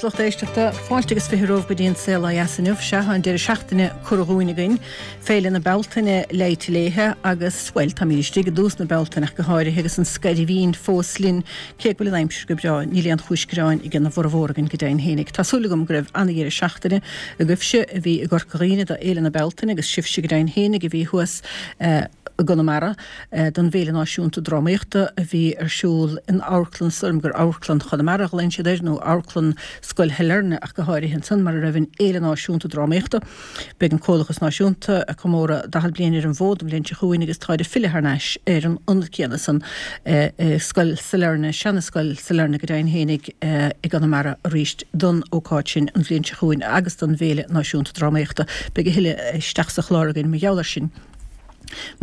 lucht éisteachta. Fáilte agus 20 romhaibh go dtí an Saol Ó Dheas inniu. Sea, tá an deireadh seachtaine curtha dhúinn againn, Féile na Bealtaine leighte léithe agus, bhuel, táimid istigh i dtús na Bealtaine ach go háirithe agus an scairbhín fós linn, cé go bhfuil an aimsir go breá, níl aon chúis gearáin ag an bhformhór againn go deimhin fhéinig. Tá súil agam go raibh ana-dheireadh seachtaine agaibhse a bhí i gCorca Dhuibhne do Fhéile na Bealtaine agus sibhse go deimhin fhéinig a bhí thuas i gConamara. don bhFéile Náisiúnta Drámaíochta a bhí ar siúl in Amharclann, is dóigh liom gur Amharclann Chonamara a ghlaonn siad air, nó Amharclann Scoil Shailearna ach go háirithe ansan, mar a raibh an Fhéile Náisiúnta Drámaíochta. Beidh an Comhlachas Náisiúnta ag comóradh 40 bliain ar an bhfód an bhliain seo chugainn agus táid ag filleadh thar n-ais ar an ionad céanna san, Scoil Sailearna, seana-Scoil Sailearna go deimhin fhéinig, i gConamara arís don ócáid sin an bhliain seo chugainn agus don bhFéile Náisiúnta Drámaíochta. Beidh a thuilleadh isteach sa chlár againn mar gheall air sin.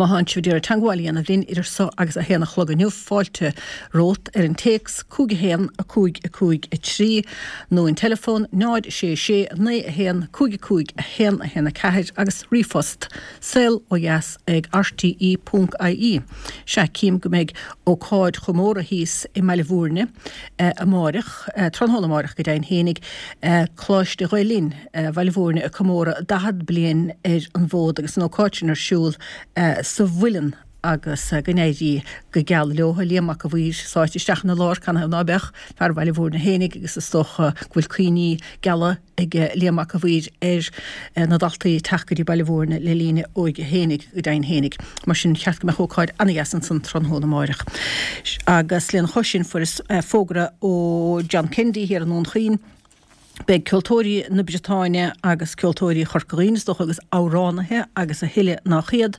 Má thánn sibh ag iarraidh teangmháil a dhéanamh linn idir so agus a haon a chlog inniu, fáilte romhat ar an téacs 5 1 5 5 3 nó an teileafón 0 6 6 9 1 5 5 1 1 4 agus ríomhphost saol ó dheas ag rte ponc ie. Sea, cím go mbeidh ócáid chomórtha thíos i mBaile Bhúirne amáireach, tráthnóna amáireach go deimhin fhéinig, Coláiste Ghael Linn. Bhaile Bhúirne ag comóradh 40 bliain ar an bhfód agus an ócáid sin ar siúl sa Mhuileann agus go n-éirí go geal leo. Liam Mac a' Mhaoir sáite isteach ina lár, canathaobh ná beadh, fear Bhaile Bhúirne fhéinig agus is dócha go bhfuil cuimhní geala ag Liam Mac a' Mhaoir ar na daltaí ag teacht go dtí Baile Bhúirne le linn a óige fhéinig, go deimhin fhéinig. Mar sin, cheart go mbeadh ócáid an-dheas ansan tráthnóna amáireach. Agus lena chois sin fuaireas fógra ó John Kennedy thiar i nDún Chaoin, Beidh ceoltóirí na Briotáine agus ceoltóirí Chorca Dhuibhne, is dócha, agus amhránaithe agus a thuilleadh nách iad.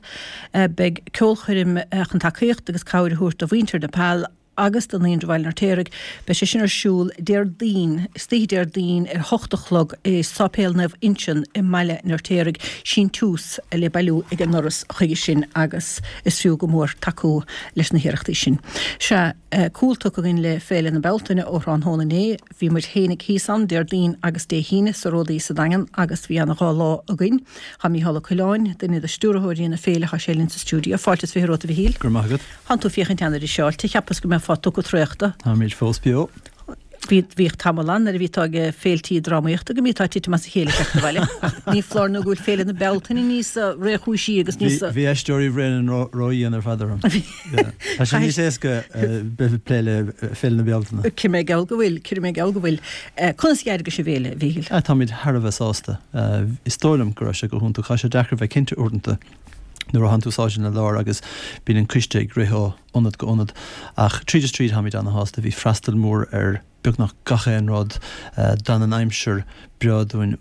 Beidh ceolchoirm chun tacaíocht agus cabhair a thabhairt do mhuintir Nepal agus do Naíonra Bhaile an Fheirtéaraigh. Beidh sé sin ar siúl Déardaoin, istoíche Déardaoin ar hocht a chlog i Sáipéal Naomh Uinseann i mBaile an Fheirtéaraigh. Síntiús le bailiú ag an ndoras chuige sin agus is fiú go mór tacú leis na hiarrachtaí sin. Sea, cúl tugtha againn le Féile na Bealtaine ó thráthnóna inné. Bhí muid fhéinig thíos ann Déardaoin agus Dé hAoine sa Ródaí sa Daingean agus bhí ana dhá lá againn. Tá Mícheál Ó Coileáin, duine de stiúrthóirí na féile, tá sé linn sa stiúideo. Fáilte is 20 romhat a Mhichíl. Go raibh maith agat. Thánn tú féachaint ana-fhriseáilte. Cheapas go mbeifeá tugtha traochta. Táimid fós beo. Bhí, bhíodh tamall ann nuair a bhítá ag féiltí drámaíochta go mbítá ag titim as a chéile ag teacht abhaile. Ach ní foláir nó go bhfuil Féile na Bealtaine níos réchúisí agus níos. Bhí Aisteoirí Bhréanainn ródhian ar fad orm. Tá sé níos éasca bheith ag plé le Féile na Bealtaine. Cuirfidh mé geall go bhfuil, cuirfidh mé geall go bhfuil. Conas a d'éirigh leis an bhféile, a Mhíchíl? Táimid thar a bheith sásta. Is dóigh liom go raibh sé go hiontach. Tá sé deacair bheith cinnte uaireanta nuair a thánn tú sáite ina lár agus bíonn an coiste ag rith ó ionad go ionad. Ach tríd is tríd táimid ana-shásta. Bhí freastal mór ar beagnach gach aon rud. D'fhan an aimsir breá dúinn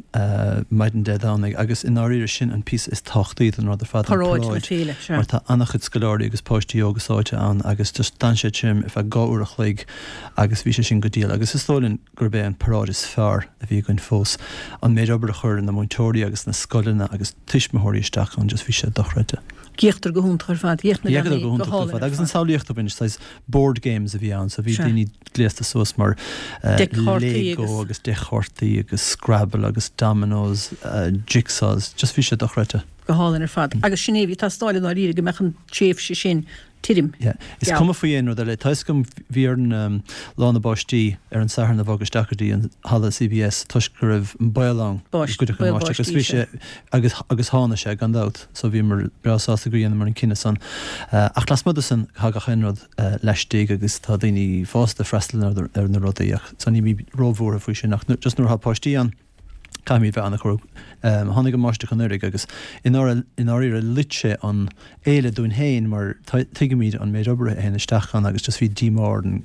maidin Dé Domhnaigh agus i ndáiríre sin an píosa is tábhachtaí den rud ar fad, an Paráid na féile, sea. Mar tá an-chuid scoláirí agus páistí óga sáite ann agus just d'fhan sé tirim ar feadh 2 uair a chloig agus bhí sé sin go diail agus is dóigh linn gurb é an paráid is fearr a bhí againn fós. An méid obair a chuir na múinteoirí agus na scoileanna agus tuismitheoirí isteach ann just bhí sé dochreidte. D'fhéachadar go hiontach ar fad, d'fhéach na leanaí go hálainn ar fad. Agus an samhlaíocht a bhain, saghas board games a bhí ann so bhí daoine gléasta suas mar Lego agus deic chártaí agus Scrabble agus dominoes, jigsaws, just bhí sé dochreidte. Go hálainn ar fad. Agus sin é, bhí teastáil i ndáiríre go mbeadh an tréimhse sin tirim. Yeah. Is cuma faoi aon rud eile. Tá 'fhios agam, bhí orainn Lá na Báistí ar an Satharn a bhogadh isteach go dtí an halla CBS toisc go raibh an baol ann go gcuirfeadh an bháisteach agus bhí sé agus agus tháinig sé gan dabht so bhíomar breá sásta gur dheineamar an cinneadh san. Ach lasmuigh de san tá gach aon rud laistigh agus tá daoine fásta ag freastal ar na rudaí ach so nílimid róbhuartha faoi sin ach just nuair atá páistí ann caithfimid bheith an-chúramach. Tháinig an bháisteach anuraidh agus i ndáiríre loit sé an fhéile dúinn féin mar tuigimid an méid obair a théann isteach ann agus just bhí díomá orainn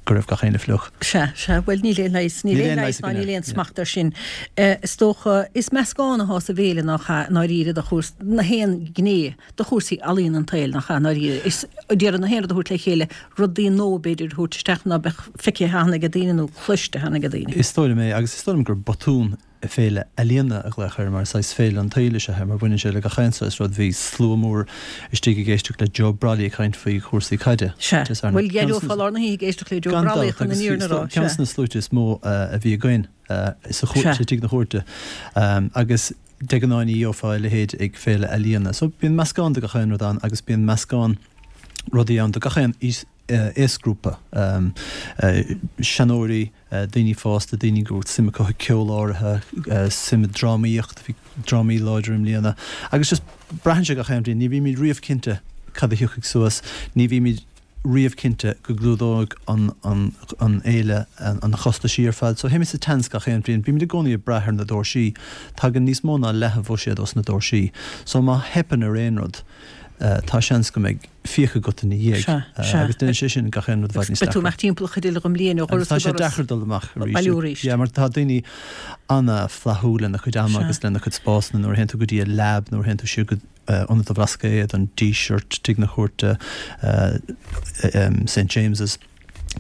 go raibh gach éinne fliuch. Sea, sea, bhuel níl aon leigheas, níl aon leigheas ná níl aon smacht air sin. Is dócha, is meascán atá sa bhféile nach ea, i ndáiríre, de chúrsaí, na haon ghné de chúrsaí ealaíon an tsaoil, nach ea, i ndáiríre. Is d'iarraidh na haon rud a thabhairt le chéile, rudaí nua b'fhéidir a thabhairt isteach ná beadh feicthe cheana ag daoine nó cloiste cheana ag daoine. Is dóigh liom é, agus is dóigh liom gur botún féile ealaíona a ghlaoch air, mar saghas féile an tsaoil is ea é, mar baineann sé le gach aon saghas rud. Bhí slua mór istigh ag éisteacht le Joe Brolly ag caint faoi chúrsaí caide. Sea. Bhuel, d'éireofá lár na hoíche ag éisteacht le Joe Brolly chun an fhírinne a rá. Ceann de na sluaite is mó a bhí againn sa tigh na cúirte. Agus De ghnáth ní gheofá a leithéid ag féile ealaíona. So bíonn meascán de gach aon rud ann agus bíonn meascán rudaí ann do gach aon aois aosghrúpa, seanóirí, daoine fásta, daoine go bhfuil suim acu i ceol áirithe, suim i drámaíocht, bhí drámaí láidir i mbliana. Agus just braitheann sé gach aon bhliain, ní bhímid riamh cinnte cad a thiocfaidh suas, ní bhímid riamh cinnte go gclúdóidh an an fhéile an chostaisí ar fad. So théimid sa tseans gach aon bhliain. Bímid i gcónaí ag brath ar na doirsí. Tagann níos mó ná leath an bhuiséad ós na doirsí. So má theipeann ar aon rud, tá seans go mbeidh fiacha agat ina dhiaidh. Sea, sea. Agus déanann sé sin gach aon rud i bhfad níos deacra. Beidh tú amach timpeall an chuid eile den bhliain ó dhoras go doras. Agus tá sé deacair dul amach arís. Bailiú arís. Yeah, mar tá daoine ana-fhlaithiúil lena cuid ama agus lena cuid spásanna nuair a théann tú go dtí an Lab, nuair a théann tú siar go Ionad an Bhlascaoid, an Díseart, Tigh na Cúirte, St James's.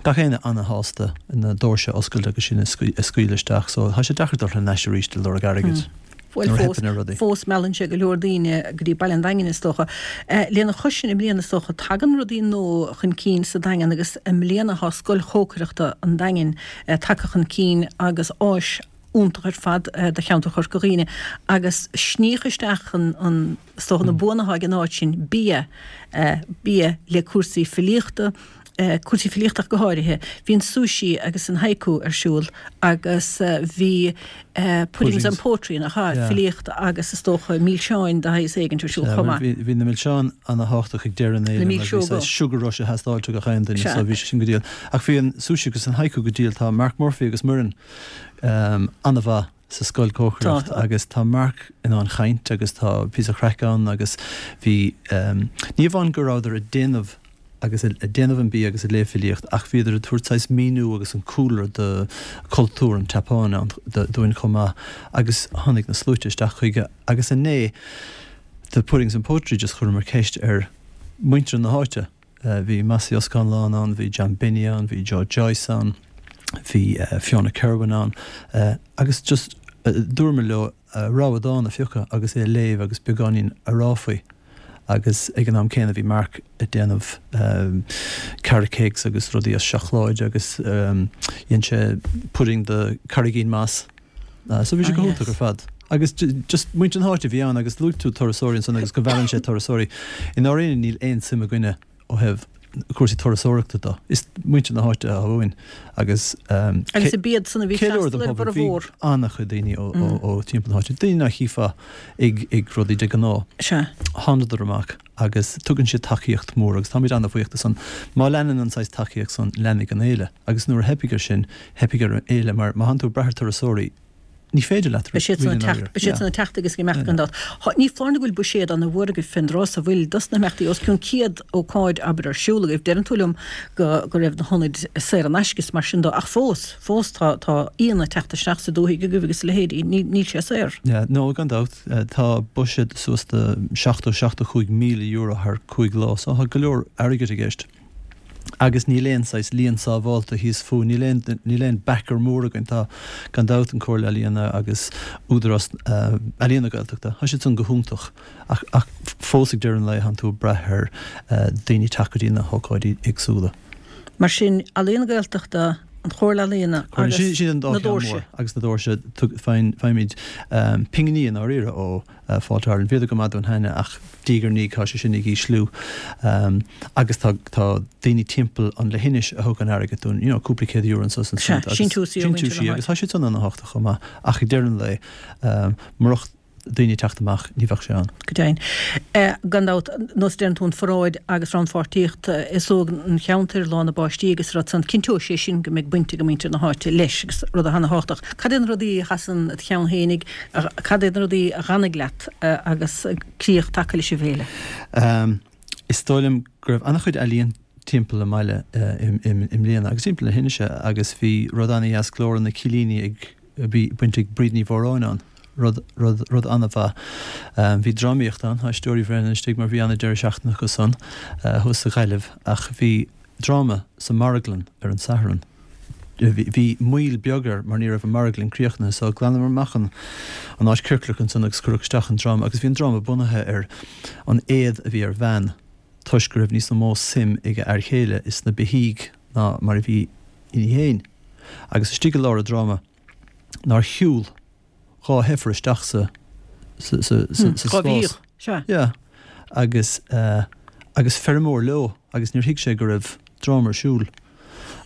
Gach éinne ana-shásta na doirse a oscailt agus sinn a scaoileadh isteach so tá sé deacair dul thar n-ais arís ag lorg airgid Bhuel nuair a fós, theipeann ar rudaí. fós meallann sé go leor daoine go dtí baile an Daingin is dócha. Lena chois sin i mbliana is dócha tagann rudaí nua chun cinn sa Daingean agus i mbliana tá Scoil Chócaireachta an Daingin tagtha chun cinn agus áis iontach ar fad do cheantar Chorca Dhuibhne agus sníodh isteach an, an, is dócha na buanna atá ag an áit sin, bia, bia le cúrsaí filíochta, cúrsaí filíochta ach go háirithe. Bhí an sushi agus an haiku ar siúl agus bhí puddings and poetry, nach ea, filíocht agus is dócha milseáin de shaghas éigint ar siúl chomh maith. Bhí na milseáin ana-thábhachtach ag deireadh na féile mar bhí saghas sugar rush ag teastáil ó gach aon duine so bhí sé sin go diail. Ach bhí an sushi agus an haiku go diail. Tá Mark Murphy agus Muireann an-mhaith sa scoil cócaireacht agus tá Mark in ann chaint agus tá píosa craic ann agus bhí, ní amháin go rabhadar ag déanamh agus ag déanamh an bia agus ag léamh filíocht ach bhíodar ag tabhairt saghas míniú agus an cúlra do cultúr an tSeapáin dúinn chomh maith agus tháinig na sluaite isteach chuige agus inné the Puddings and Poetry just chuireamar ceist ar muintir na háite. Bhí Mossy Ó Scanláin ann, bhí John Binny ann, bhí Joe Joyce ann, bhí Fiona Kirwan ann agus just dúramar leo rogha dán a phiocadh agus é a léamh agus beagáinín a rá faoi agus ag an am céanna bhí Mark ag déanamh carrot cakes agus rudaí as seacláid agus dhein sé pudding de carraigín moss. So bhí sé go hiontach ar fad. Agus just muintir na háite a bhí ann agus luaigh tú turasóirí ansan agus go mheallann sé turasóirí. I ndáiríre níl aon suim againne ó thaobh cúrsaí turasóireachta de. Is muintir na háite atá uainn agus Agus ab iad san a bhí ag freastal ar bhur Bhí an-chuid daoine ó timpeall na háite. Daoine nach chífeá ag ag rudaí de ghnáth. Sea. Thánadar amach agus tugann siad tacaíocht mhór agus táimid an-bhuíoch de san. Má leanann an saghas tacaíocht san, leanfaidh an fhéile. Agus nuair a theipfidh ar sin, theipfidh ar an fhéile mar má thánn tú ag brath ar turasóirí, ní féidir leat Beidh siad san ag teacht, beidh siad san ag teacht agus ag imeacht gan dabht. Ní foláir nó go bhfuil buiséad ana-mhór agaibh fén dtráth so an bhfuil dos na himeachtaí, os cionn 100 ócáid abair ar siúl agaibh. Deireann tú liom go go raibh na hionaid saor in aisce is mar sin dó ach fós, fós tá tá aíonna ag teacht isteach sa dúthaigh agaibh agus a leithéidí. Níl níl sé saor. Yeah, no, gan dabht. Tá buiséad suas do 70, 75 míle euro thar 5 lá so tá go leor airgid i gceist. Agus níl aon saghas líon sábhálta thíos fúinn, níl aon, níl aon backer mór againn. Tá, gan dabht, an Comhairle Ealaíona agus Údarás Ealaíon na Gaeltachta, tá siad san go hiontach ach, ach fós ag deireadh an lae tánn tú ag brath ar daoine teacht go dtí na hócáidí éagsúla. Mar sin, Ealaíon na Gaeltachta, an Chomhairle Ealaíona agus Sin an dá na cheann doirse. mór. Agus na doirse, faigheann, faighimid pinginí i ndáiríre ó. Fáilte Ireland. Bhíodar go maith dúinn cheana ach diaidh ar ndiaidh tá sé sin ag ísliú agus tá tá daoine timpeall an leithinis a thugann airgead dúinn, you know, cúpla €100 anso is ansiúd agus síntiúsaí ó mhuintir na háite. Agus tá siad san ana-thábhachtach chomh maith ach ag deireadh an lae murach daoine ag teacht amach ní bheadh sé ann. Go deimhin. Gan dabht, nós a deireann tú an pharáid agus rannpháirtíocht aos óg an cheantair, Lá na bPáistí agus rud san, cinnteoidh sé sin go mbeidh baint ag muintir na háite leis agus rud ana-thábhachtach. Cad é na rudaí a sheasann i do cheann fhéinig Cad iad na rudaí a dh'fhanfaidh leat agus críoch tagtha leis an bhféile? Is dóigh liom go raibh an-chuid ealaíon timpeall an mbaile i mbliana agus timpeall na hInse agus bhí rud an-dheas, Glór na Cillíní ag, bhí baint ag Bríd Ní Mhóráin ann, rud, rud, rud an-mhaith. Bhí drámaíocht ann, tá Aisteoirí Bhréanainn istigh mar bhí an-deireadh seachtaine acu san thuas sa Ghaillimh ach bhí dráma sa marglann ar an Satharn. Bhí moill beag air mar ní raibh an marglann críochnaithe so ghlanamar amach an an áit ciorclach ansan agus cuireadh isteach an dráma agus bhí an dráma bunaithe ar an éad a bhí ar bhean toisc go raibh níos mó suim ag a fhear chéile is na beithígh ná mar a bhí inti fhéin agus istigh i lár an dráma nár shiúl 2 heifir isteach sa sa sa sa spás. 2 bheithíoch, sea. Yeah. Agus eh agus feirmeoir leo agus níor thuig sé go raibh. dráma ar siúl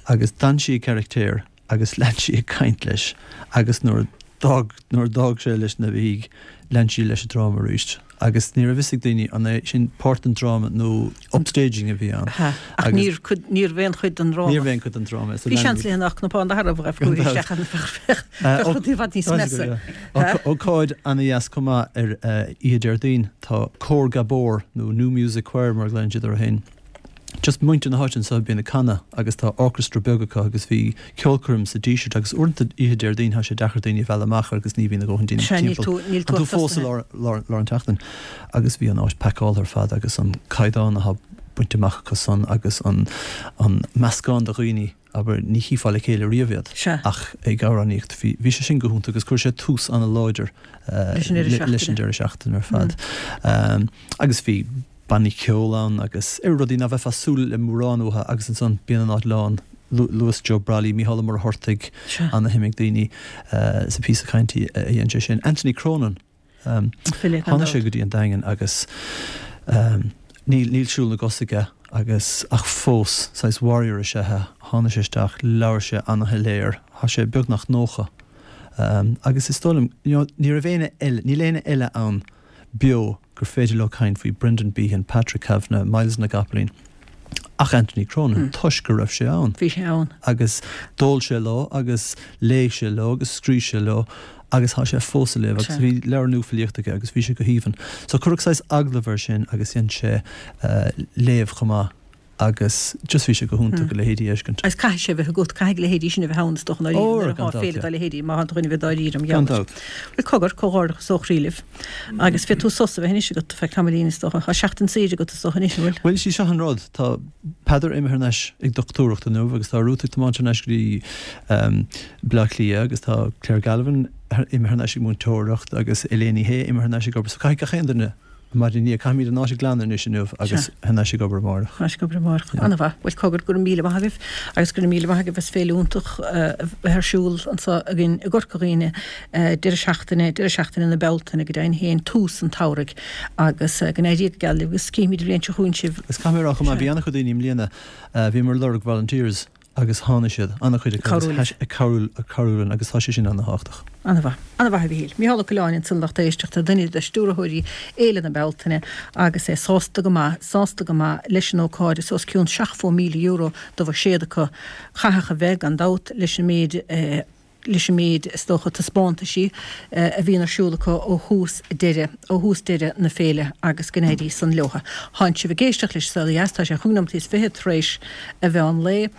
agus d'fhan sí i gcarachtar agus lean sí ag caint leis agus nuair a d'fhág, nuair a d'fhág sé leis na beithígh, lean sí leis an dráma arís agus ní raibh fhios ag daoine an é sin páirt den dráma nó upstaging a bhí ann. Ach agus níor, níorbh aon chuid den dráma. Níorbh aon chuid den dráma é. Bhí seans léi nach cnapán d'athair a bheadh chuici isteach ann bheadh rudaí i bhfad níos measa. Ócáid ana-dheas chomh maith ar oíche Déardaoin, tá Cór Gabor nó New Music Choir mar a ghlaonn siad orthu féin. Just muintir na háite anseo a bhíonn ag canadh agus tá orchestra beag acu agus bhí ceolchoirm sa Díseart agus uaireanta oíche Déardaoin tá sé deacair daoine a mhealladh amach agus ní bhíonn a dhóthain daoine Sea, níl timpeall. tú, níl tú Tá tú fós i lár, lár, lár an tseachtain agus bhí an áit pacáilte ar fad agus an caighdeán atá bainte amach acu san agus an, an meascán de dhaoine abair, ní chífeá le chéile riamh iad Sea. ach ag amhránaíocht. Bhí, bhí sé sin go hiontach agus chuir sé tús ana-láidir Leis an deireadh seachtaine. leis an deireadh seachtaine ar fad. Agus bhí bannaí ceoil ann agus rudaí ná bheifeá ag súil le mórán uathu agus ansan bíonn an áit lán. Luas Joe Brolly, Mícheál Ó Muircheartaigh, ana-shuim ag daoine sa phíosa cainte a dhein sé sin. Anthony Cronin, tháinig sé go dtí an Daingean agus níl níl siúl na gcos aige agus ach fós saghas warrior is ea é. Tháinig sé isteach, labhair sé ana-shoiléir, tá sé beagnach 90 agus is dóigh liom, you know, ní raibh éinne eile, níl éinne eile ann beo gur féidir leo caint faoi Brendan Behan, Patrick Kavanagh, Myles na gCopaleen, ach Anthony Cronin, toisc go raibh sé ann. Bhí sé ann. Agus d'ól sé leo agus léigh sé leo agus scríobh sé leo agus tá sé fós ag léamh agus bhí leabhar nua filíochta aige agus bhí sé go haoibhinn. So cuireadh saghas agallamh air sin agus dhein sé léamh chomh maith. agus just bhí sé go hiontach a leithéidí a fheiscint. Agus caithfidh sé a bheith agat, caithfidh a leithéidí sin a bheith ann is dócha i ndáiríre nuair atá féile dá leithéidí, má tá dhuine a bheith dáiríre am Gan dabht. Bhuel cogar, comhghairdeachas ó chroí libh. Agus féadfaidh tú sos a bheith anois agat feadh tamaillín is dócha. Tá seachtain saoire agat is dócha anois, an bhfuil? Bhuel, is í seo an rud, tá Peadar imithe thar n-ais ag dochtúireacht inniu agus tá Ruth ag tiomáint thar n-ais go dtí Baile Átha Cliath agus tá Claire Galvin imithe thar n-ais ag múinteoireacht agus Elaine Ní Shé imithe thar n-ais ag obair so caithfidh gach aon duine Maidin inniu, caithfimid an áit a ghlanadh anois inniu agus thar n-ais ag obair amárach. Thar n-ais ag obair amárach. Ana-mhaith. Bhuel, cogar, go raibh míle maith agaibh agus go raibh míle maith agaibh as féile iontach a bheith ar siúl anseo againn i gCorca Dhuibhne deireadh seachtaine, deireadh seachtaine na Bealtaine go deimhin féin, tús an tsamhraidh agus go n-éirí go geal libh agus cífimid an bhliain seo chugainn sibh. Agus caithfidh mé a rá chomh maith, bhí an-chuid daoine i mbliana, bhíomar ag lorg volunteers agus tháinig siad, an-chuid acu agus ag cabhrú, ag cabhrú linn agus tá sé sin an-thábhachtach. An-mhaith. An-mhaith a Mhichíl. Micheál Ó Coileáin ansan lucht éisteachta, duine de stiúrthóirí Fhéile na Bealtaine agus é sásta go maith, sásta go maith leis an ócáid is os cionn €70,000 de bhuiséad acu. Chaithfeadh a bheith, gan dabht, leis an méid, leis an méid, is dócha, taispeántaisí a bhíonn ar siúl acu ó thús deireadh, ó thús deireadh na féile agus go n-éirí san leotha. Tánn sibh ag éisteacht leis An Saol Ó Dheas, tá sé chúig nóimeataí is fichead tar éis a mheán lae.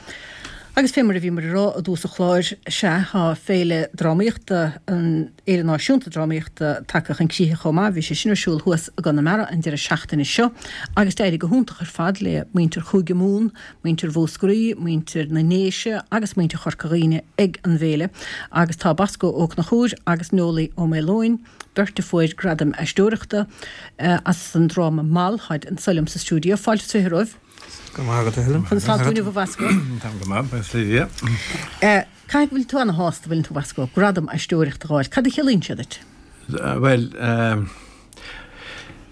Agus fé mar a bhíomar ag rá i dtús an chláir, sea, tá féile drámaíochta, an Fhéile Náisiúnta Drámaíochta tagtha chun críche chomh maith, bhí sé sin ar siúl thuas i gConamara an deireadh seachtaine seo agus d'éirigh go hiontach ar fad le muintir Chúige Mumhan, muintir Mhúscraí, muintir na nDéise agus muintir Chorca Dhuibhne ag an bhféile agus tá Bosco Ó Conchúir agus Nollaí Ó Maoileoin, beirt a fuair gradaim aisteoireachta as an dráma Mall, táid anso liom sa stiúideo. Fáilte is 20 romhaibh. Go raibh maith agat, a Helen. Conas tá tú inniu, a Bhosco? Táim go maith, buíochas le Dia. Caithfidh go bhfuil tú ana-shásta, bhfuileann tú, a Bhosco, gradam aisteoireachta a fháil. Cad a chiallaíonn sé duit? Bhuel,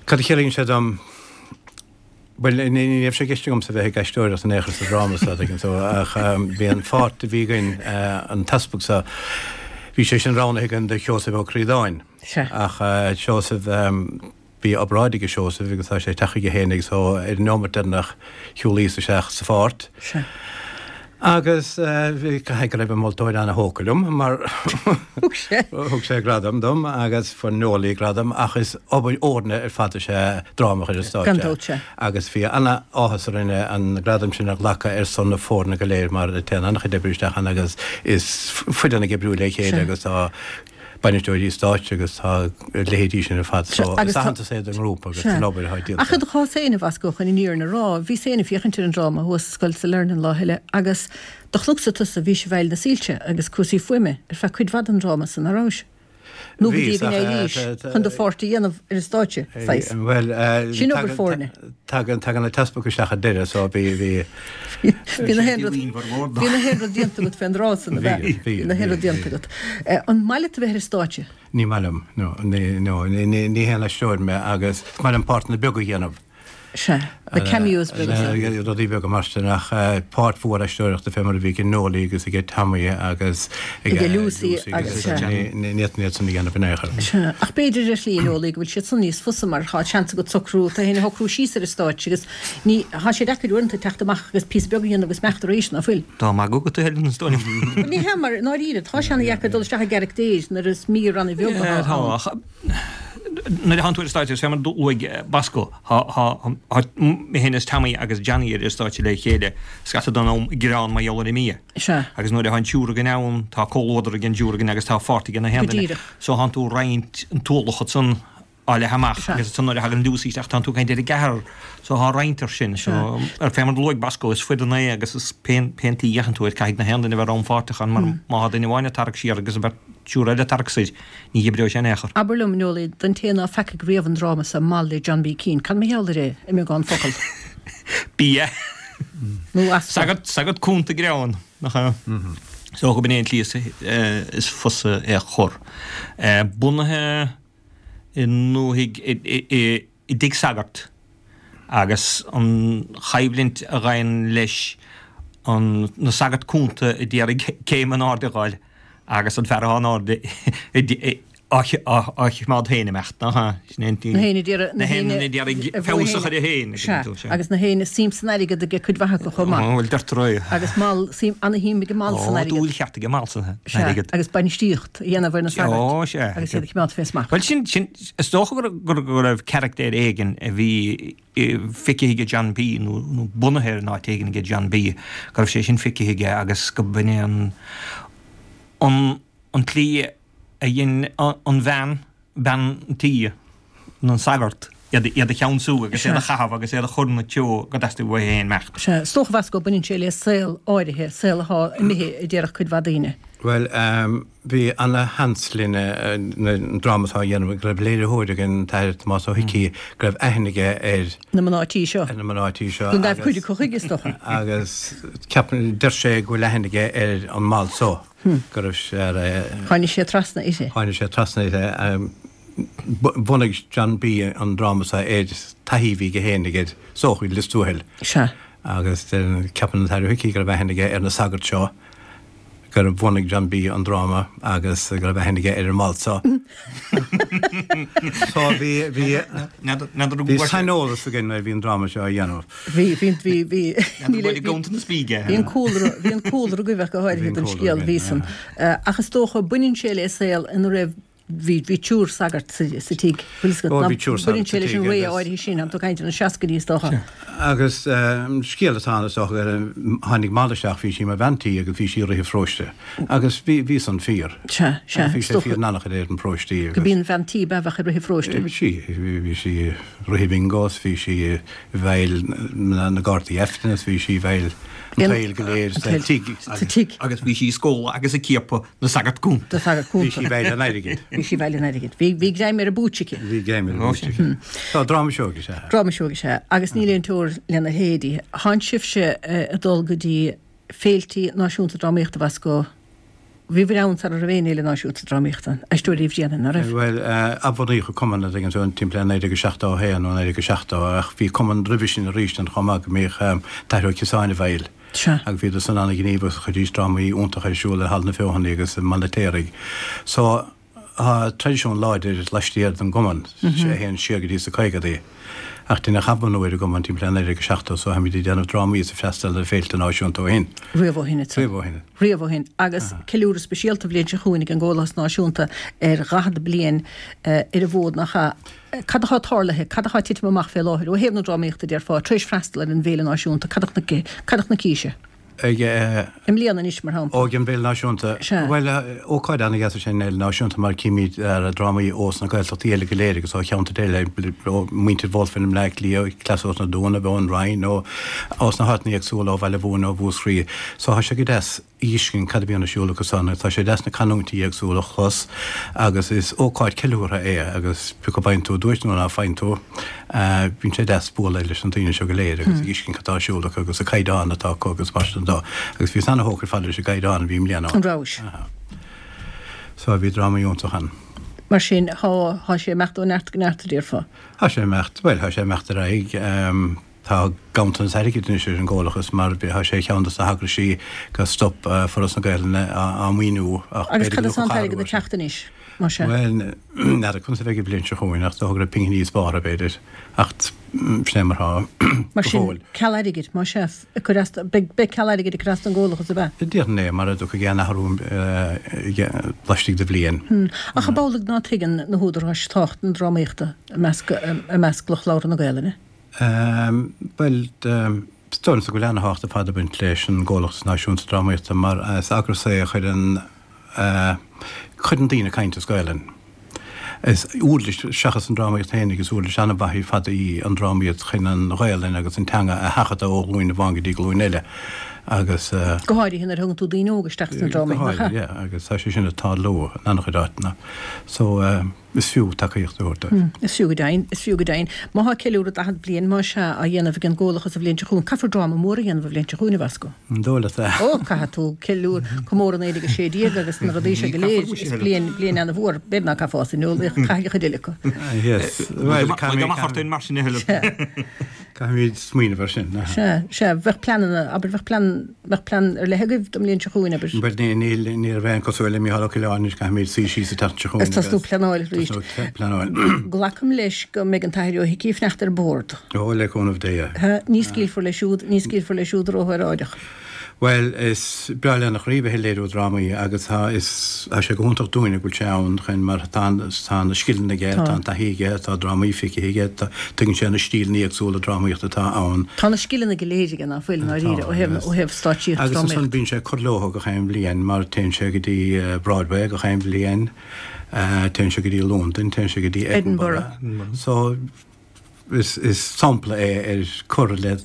cad a chiallaíonn sé dom? Bhuel, ní raibh sé i gceist agamsa bheith ag aisteoireacht in aon chor sa dráma seo, tuigeann tú, ach bhí an pháirt a bhí againn, an t-easpag seo, bhí sé sin roghnaithe againn do Sheosamh Ó Críodáin. Ach Seosamh, bhí obráid aige Seosamh agus tá sé ag teacht chuige féin agus so ar an neomat deireanach shiúlaíos isteach sa pháirt. Agus caithfidh go raibh an moltóir ana-thógtha liom mar thug sé gradam dom agus fuair Nollaí gradam ach is obair fhoirne ar fad is ea dráma a chur ar stáitse. Gan dabht sea. Agus bhí ana-áthas orainn an gradam sin a ghlacadh ar son na foirne go léir mar téann an-chuid oibre isteach ann agus is foireann ag oibriú le chéile agus tá bainisteoirí stáitse agus tá a leithéidí sin ar fad. So is aitheantas é don ngrúpa agus don obair atá déanta. Ach i do chás féin, a Bhosco, chun an fhírinne a rá, bhíos féin ag féachaint ar an dráma thuas sa scoil Sailearna an lá eile agus do chonacsa tusa, bhís i bhfeighil na soilse agus cúrsaí fuaime ar feadh cuid mhaith den dráma san, nach rabhais? Nó go dtí go n-éirís chun do pháirt a dhéanamh ar an stáitse, saghas. Bhuel, Sin obair foirne. Tagann, tagann an t-easpag isteach ar deireadh so bhí, bhí. Bhí na haon rud, bhí na haon rud déanta agat fén dtráth san, ab ea? Bhí, bhí, Bhí na haon rud déanta agat. An maith leat a bheith ar an stáitse? Ní maith liom, no, ní, no, ní, ní haon aisteoir mé agus is maith liom páirteanna beaga a dhéanamh. Sea, na cameos beaga sin. Rudaí beaga mar sin ach páirt mhór aisteoireachta fé mar a bhí ag Noelie agus ag Tommy agus ag Lucy agus sea. Ní fhéadfainn iad san a dhéanamh in aon chor. Sea, ach b'fhéidir ar shlí, Noelie, go bhfuil siad san níos fusa mar tá seans agat socrú, tú féin a shocrú síos ar an stáitse agus ní, tá sé deacair uaireanta teacht amach agus píosa beag a dhéanamh agus imeacht arís, ná fuil? Tá magadh agat a Helen, is dóigh liom. Ní hea, mar i ndáiríre, tá sé ana-dheacair dul isteach i gcarachtair nuair is mír ana-bheag atá ann. Tá, ach nuair a thánn tú ar an stáitse, fé mar a luaigh Bosco, tá mé féin is Tommy agus Johnny ar an stáitse le chéile scata den am ag gearán mar gheall ar an mbia. Sea. Agus nuair atá an triúr againn ann, tá comhluadar ag an dtriúr againn agus tá pháirt ag na haon duine. Go díreach. So thánn tú ag roinnt an t-ualach ansan á leathadh amach agus ansan nuair a thagann Lucy isteach tánn tú ag caint ar an gceathrar. So thá roinnt ar sin. So ar fé mar a luaigh Bosco, is foireann é agus is pén pén tslí a fhéachann tú air caithfidh na haon duine a bheith rannpháirteach ann mar má thá duine amháin ag tarrac siar agus an bheirt triúr eile ag tarrac soir, ní oibreoidh sé in aon chor. Abair liom, Noelie, don té ná feacaigh riamh an dráma so, Mal le John B. Keane, cad mar gheall air é, i mbeagán focal? Bia. Nó easpa. Sagart, sagart cúnta greann, nach ea? Is dócha gurb in é an tslí is fusa é a chur. Bunaithe i ndúthaigh, i dtigh sagart agus an choimhlint a ghabhann leis an, na sagairt cúnta a d'iarraidh céim in airde a dh'fháil agus an fear atá in airde á choimeád féin imeacht, nach ea? Sin é an Na héinne a d'iarraidh, na héinne a d'iarraidh feabhas a chur air féin. Sea, agus na héinne suim san airgead aige cuid mhaith acu chomh maith. Bhuel, deirtear é. Agus Mal, suim, ana-shuim ag Mal san airgead. Ó, dúil cheart aige Mal san airgead. Sea, agus bainistíocht. a dhéanamh ar na sagairt Ó, sea. agus iad a choimeád fé smacht. Bhuel, sin, sin, is dócha go, go, go raibh carachtar éigin a bhí feicthe aige John B. nó, nó bunaithe ar in áit éigin aige John B. go raibh sé sin feicthe aige agus go b'in é an, an, an tslí a dhein an bhean, bean an tí, an sagart, iad, iad a cheansú agus iad a chaitheamh agus iad a chur ina treo go dteastaigh uaithi féin imeacht. Sea, is dócha Bhosco, baineann sé le saol áirithe, saol athá imithe a déarfadh cuid mhaith daoine. Bhuel, bhí ana-sheans linn an dráma atá á dhéanamh, go raibh léiritheoir againn, an tAthair Tomás Ó hIcí, go raibh aithne aige ar. Na mná tí seo. Ar na mná tí seo. Go ngabh cuid acu chuige, is dócha. Agus ceapann, deir sé go bhfuil aithne aige ar an Mal so, go raibh sé ar. Tháinig sé trasna uirthi. Tháinig sé trasna uirthi. Bhunaigh John B. an dráma seo ar taithí a bhí aige féin aige is dócha i Lios Tuathail. Sea. Agus ceapann an tAthair Ó hIcí go raibh aithne aige ar na sagairt seo, gur bhunaigh John B. an dráma agus go raibh aithne aige ar an Mal seo. So bhí, bhí, bhí saineolas againn nuair a bhí an dráma seo á dhéanamh. Bhí, bhí, bhí, bhí. Bhí an cúlra, bhí an cúlra agaibh ach go háirithe don scéal, bhí san. Ach is dócha, baineann sé le saol ina raibh Bhí, bhí triúr sagart sa, sa tigh. Bhfuil fhios agat, Ó, bhí triúr sagart sa tigh. Baineann sé leis an ré áirithe sin, tá tú ag caint ar na seascaidí is dócha. Agus scéal atá ann is dócha gur tháinig Mal isteach, bhí sí mar bhean tí agus bhí sí ag rith an pharóiste. Agus bhí, bhí san fíor. Sea, sea. Bhí sé fíor in an-chuid ar an pharóiste agus. Go b'í an bhean tí ba bheadh ag rith an pharóiste. Bhí sí, bhí sí ag rith an bhingo is bhí sí i bhfeighil na gcártaí Aifrinn is bhí sí i bhfeighil an tsaoil go léir sa tigh. Sa tigh. Agus bhí sí ag scóladh agus ag ciapadh Na sagart cúnta. Na sagart cúnta. Bhí sí i bhfeighil an airgid. Bhí sí i bhfeighil an airgid. Bhí, bhí greim ar an bpúits aici. Bhí greim ar an bpúits aici. Tá dráma sióg is ea. Dráma sióg is ea. Agus níl aon teora lena leithéidí. Thánn sibhse ag dul go dtí féiltí náisiúnta drámaíochta Bhosco. Bhíobhair ann sara raibh aon fhéile náisiúnta drámaíochta ann. Aisteoirí Uí Bhriain, ná raibh? Bhuel, athbhunaíodh an cumann a dtuigeann tú, timpeall le 1971 nó 1970 ach bhí cumann roimhe sin arís ann chomh maith go mbíodh T.Ó Ciosáin i bhfeighil. Sea. Agus bhíodar san an-ghníomhach agus chuiridís drámaí iontacha ar siúl i Halla na Feothanaí agus i mBaile an Fheirtéaraigh. So, tá traidisiún láidir laistiar den gcumann, a théann siar go dtí sna caogadaí. Ach deineadh athbhunú ar an gcumann timpeall 1970 so táimid ag déanamh drámaí is ag freastal ar féilte náisiúnta ó shin. Riamh ó shin, ansan. Riamh ó shin. Riamh ó shin. Agus ceiliúradh speisialta an bhliain seo chugainn ag an gComhlachas Náisiúnta ar dhaichead bliain ar an bhfód, nach ea? Cad atá tarlaithe, cad atá ag titim amach fé láthair ó thaobh na drámaíochta, déarfá, tar éis freastal ar an bhFéile Náisiúnta, cad a chonaic, cad a chonaicís? Ag. I mbliana anois, mar shampla. Ó, ag an bhFéile Náisiúnta. Sea. Bhuel, ócáid an-dheas is ea an Fhéile Náisiúnta mar címid drámaí ós na Gaeltachtaí eile go léir agus ó cheantair eile, ó mhuintir Bhulf i mBleá Cliath, cleas ós na Dúnaibh, ón Rinn, ó, ós na háiteanna éagsúla, ó Bhaile Mhúirne, ó Mhúscraí. So tá sé go deas. fheiscint cad a bhíonn ar siúl acu san. Tá sé deas na canúintí éagsúla a chlos agus is ócáid ceiliúrtha é agus pé acu faigheann tú duais nó ná faigheann tú, bíonn sé deas bualadh leis na daoine seo go léir agus a fheiscint cad tá ar siúl acu agus an caighdeán atá acu agus mar sin de. Agus bhíos ana-thógtha ar fad leis an gcaighdeán a bhí i mbliana ann. An rabhais? So bhí drámaí iontach ann. Mar sin, thá, thá sé ag imeacht ó neart go neart, a déarfá. Thá sé ag imeacht, bhuel, thá sé ag imeacht ar aghaidh. Tá ganntanas airgid anois ar an gComhlachas mar tá sé ar cheann dos na heagraisí gur stop Foras na Gaelainne á maoiniú ach Agus b'fhéidir cad go as an t-airgead ag teacht anois, mar sin? Bhuel, n'fheadar conas a bheidh an bhliain seo chugainn ach is dócha go raibh pinginí spártha b'fhéidir ach sin é mar thá Mar go sin, fóill. ceal airgid, más ea, ag cur as, beidh, beidh ceal airgid ag cur as don gComhlachas, ab ea? Déarfainn é, mara dtiocfaidh aon athrú laistigh de bhliain. Ach ab amhlaidh ná tuigeann na húdaráis tábhacht na drámaíochta i measc, i measc lucht labhartha na Gaelainne? Bhuel, is dóigh liomsa go bhfuil ana-thábhacht ar fad ag baint leis an gComhlachas Náisiúnta Drámaíochta mar is eagras é a chuireann, cuireann daoine ag caint as Gaelainn. Is uirlis, seachas an drámaíocht féinig, is uirlis an-mhaith ar fad í an drámaíocht chun an Ghaelainn agus an teanga a sheachadadh ó ghlúin amháin go dtí glúin eile agus. Go háirithe nuair a thugann tú daoine óga isteach sna drámaí, nach ea? Go háirithe, yeah, agus tá sé sin ag tarlú in an-chuid áiteanna. So. Is fiú tacaíocht a thabhairt dóibh. Is fiú go deimhin, is fiú go deimhin. Má thá ceiliúradh 40 bliain, más ea, á dhéanamh ag an gComhlachas an bhliain seo chugainn, caithfear dráma mór a dhéanamh an bhliain seo chugainn, a Bhosco. An dóigh leat é? Ó, caithfidh tú ceiliúr, comóradh 1916 agus na rudaí seo go léir. Is bliain, bliain ana-mhór. B'fhéidir ná caithfeá san eolaíocht, caithfidh an chuid eile acu. Yes. Bhuel, caithfidh. Mar sin a thuilleadh. Caithfimid smaoineamh air sin. Sea, sea, bheadh pleananna, abair, bheadh plean, bheadh plean ar leith agaibh don mbliain seo chugainn, abair. Bhuel, ní, níl, ní raibh aon cosúil le Mícheál Ó Coileáin anois, caithfimid suí síos an tseachtain seo chugainn agus. Tosnú pleanáil arís. Tosnú pleanáil. Glacaim leis go mbeidh an tAthair Ó hIcí ag fanacht ar bord. Ó, le cúnamh Dé. Sea, ní scaoilfear leis siúd, ní scaoilfear leis siúd róshóráideach. Bhuel, is breá lena chroí bheith ag léiriú drámaí agus tá, is, tá sé go hiontach dúinne go bhfuil sé ann chun mar tá, tá na scileanna aige, tá an taithí aige, tá drámaí feicthe aige, tá, tuigeann sé na stíleanna éagsúla drámaíochta atá ann. Tá na scileanna go léir aige, ná fuil, i ndáiríre, ó thaobh, ó thaobh stáitsíocht, Agus ansan bíonn sé ag cur leo gach aon bhliain mar téann sé go dtí Broadway gach aon bhliain, téann sé go dtí Londain, téann sé go dtí Edinburgh. So, Is sampla é ar cur le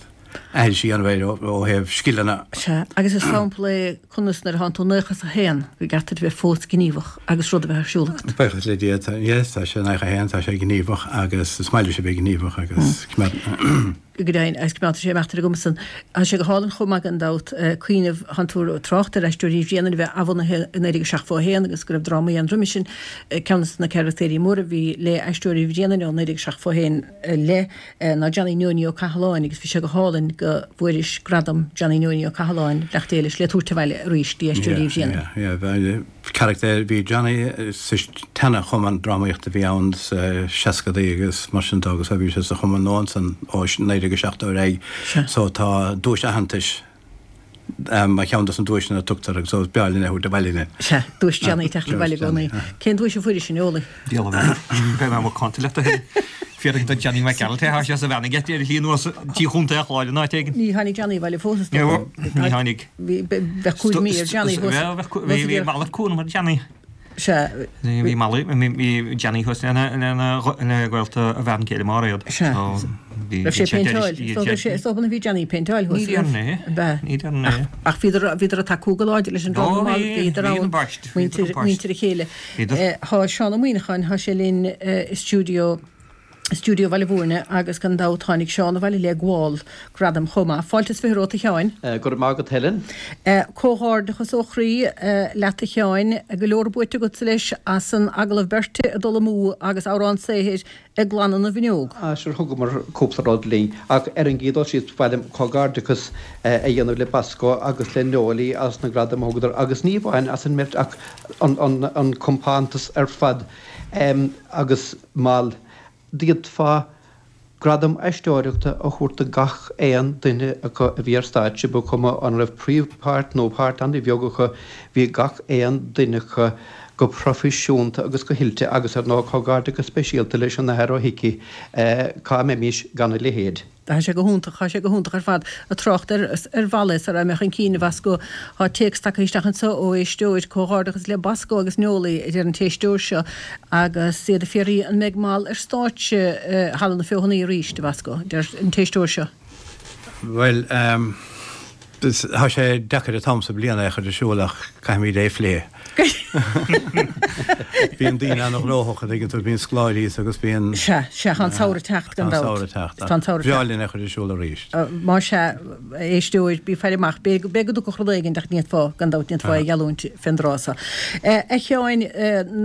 aithris a dhéanamh air ó thaobh scileanna. Sea, agus is sampla é conas nuair atánn tú 91 go gceart duit a bheith fós gníomhach agus rud a bheith ar siúl agat. Buíochas le Dia, tá, yes, tá sé 91, tá sé gníomhach agus is maith leis a bheith gníomhach agus coimeád. Go deimhin, agus coimeádfaidh sé ag imeacht ar an gcuma san. Tá sé go hálainn chomh maith gan dabht cuimhneamh, thánn tú ag trácht ar Aisteoirí Bhréanainn a bheith athbhunaithe i 1971 agus go raibh drámaí ann roimis sin. Ceann de na carachtéirí móra a bhí le Aisteoirí Bhréanainn ó 1971 i leith ná Johnny Neoiní Ó Cathaláin agus bhí sé go hálainn go bhfuairis gradam Johnny Neoiní Ó Cathaláin, beannacht Dé leis, le tabhairt abhaile arís dtí Aisteoirí Bhréanainn. Yeah, yeah. Carachtair, bhí Johnny sa tseana-chumann drámaíochta a bhí ann sa seascadaí agus mar sin de agus bhí sé sa chumann nua ansan ó 1970 ar aghaidh so tá duais aitheantais mar cheann dos na duaiseanna a tugtar agus so is breá linn é a thabhairt abhaile linn. Sea, duais Johnny ag teacht abhaile i gcónaí. Cén duais a fuairis, a Neolaí? Diabhal a bheith. Beidh mé macánta leat a thuilleadh. Fiafraigh de Johnny McAnulty, tá sé sa bhean aige ar a shlí anuas dtí Chontae an Chláir in áit éigin. Ní tháinig Johnny abhaile fós is dócha. Ní tháinig. Bheadh cúig mí ar Johnny thuas. Bhí malairt cúram ar Johnny. Sea. Bhí malairt, bhí Johnny thuas lena ghaolta a bhean chéile Máiréad. Sea. Raibh sé ag péinteáil. Is dócha bhí Johnny ag péinteáil thuas. Ní déarfainn é. Ab ea? Ní déarfainn é. Ach bhíodar ag tacú go láidir leis an dráma. Bhíodar ann. Muintir a chéile. Tá Seán Ó Muíneacháin, tá sé linn i stiúideo, i stiúideo Bhaile Mhúirne agus gan dabht tháinig Seán abhaile le gabháil gradaim chomh maith. Fáilte is 20 romhat a Sheáin. Go raibh maith agat Helen. Comhghairdeachas ó chroí leat a Sheáin. Go leor buaite agatsa leis as an agallamh beirte ag dul amú agus amhrán saothair ag glanadh na bhfuinneog. Ah sure thugamar cúpla rud linn ach ar an gcéad dul síos ba mhaith liom comhghairdeachas a dhéanamh le Bosco agus le Neoly as na gradaim a thugadar agus ní amháin as an mbeirt ach an compántas ar fad agus Mal, d'fhéadfá gradam aisteoireachta a thabhairt do gach aon duine acu a bhí ar stáitse, ba chuma an raibh príomhpháirt nó páirt an-bheag acu, bhí gach aon duine acu go proifisiúnta agus go hoilte agus ar ndóigh comhghairdeachas speisialta leis an Athair Ó hIcí, cá mbeimis gan a leithéid? Tá sé go hiontach, tá sé go hiontach ar fad. Ag trácht ar ar Mhal é, sara mbeadh an cinn a Bhosco, tá téacs tagtha isteach anseo ó éisteoir, Comhghairdeachas le Bosco agus Neolaí, a deir an t-éisteoir seo, agus iad ag fiafraí an mbeidh Mal ar stáitse Halla na Feothanaí arís, a Bhosco, a deir an t-éisteoir seo. Bhuel, tá sé deacair an t-am sa bhliain é a chur ar siúl ach caithfimid é a phlé. Bíonn daoine an-ghnóthach, an dtuigeann tú, bíonn scoláirí agus bíonn. Sea, sea, tá an samhradh ag teacht gan dabht. Tá an samhradh ag teacht. Tá an samhradh ag teacht. Bhreá linn é a chur ar siúl arís. Má sea, a éisteoir, bí ag faire amach, b'fhéidir go dtiocfadh rud éigin ach ní fhéadfá, gan dabht, ní fhéadfá é a gheallúint fén dtráth so. A Sheáin,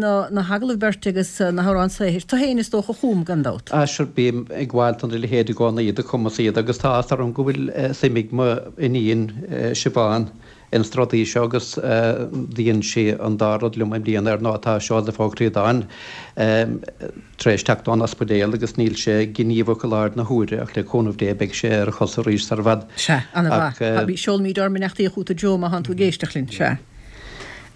na hagallaimh beirte agus na hamhráin saothair, tú féin is dócha a chum, gan dabht. Ah sure, bím ag gabháil dona leithéid i gcónaí, do chumas iad agus tá áthas orm go bhfuil suim ag mo iníon Siobhán ins na rudaí seo agus dhein sí an dá rud liom i mbliana ar ndóigh tá Seosamh Ó Críodáin tar éis teacht ón ospidéal agus níl sé gníomhach i láthair na huaire ach le cúnamh Dé beidh sé ar a chosa arís sar i bhfad. Sea, ana-mhaith. Seolaimid ár mbeannachtaí chugat a Joe má thánn tú ag éisteacht linn. Sea.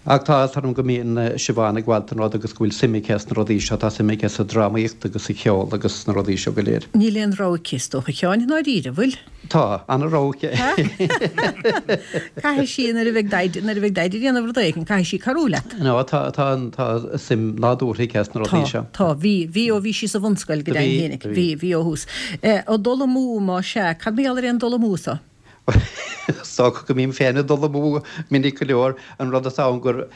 Ach tá áthas orm go mbíonn Siobhán ag gabháil don rud agus go bhfuil suim aici sna rudaí seo, tá suim aici sa drámaíocht agus sa cheol agus sna rudaí seo go léir. Níl aon rogha aici, is dócha, a Sheáin, i ndáiríre, an bhfuil? Tá, ana-rogha aici. Caithfidh sí, nuair a bheidh Daid, nuair a bheidh Daid ag déanamh rud éigin, caithfidh sí cabhrú leat. No, tá, tá, tá suim nádúrtha aici sna rudaí seo. Tá, tá, bhí, bhí ó bhí sí sa bhunscoil go deimhin féinig, bhí, bhí ó thús. Ó dul amú, más ea, cad mar gheall ar aon dul amú so? Is dócha go mbím féin ag dul amú minic go leor. An rud atá ann gur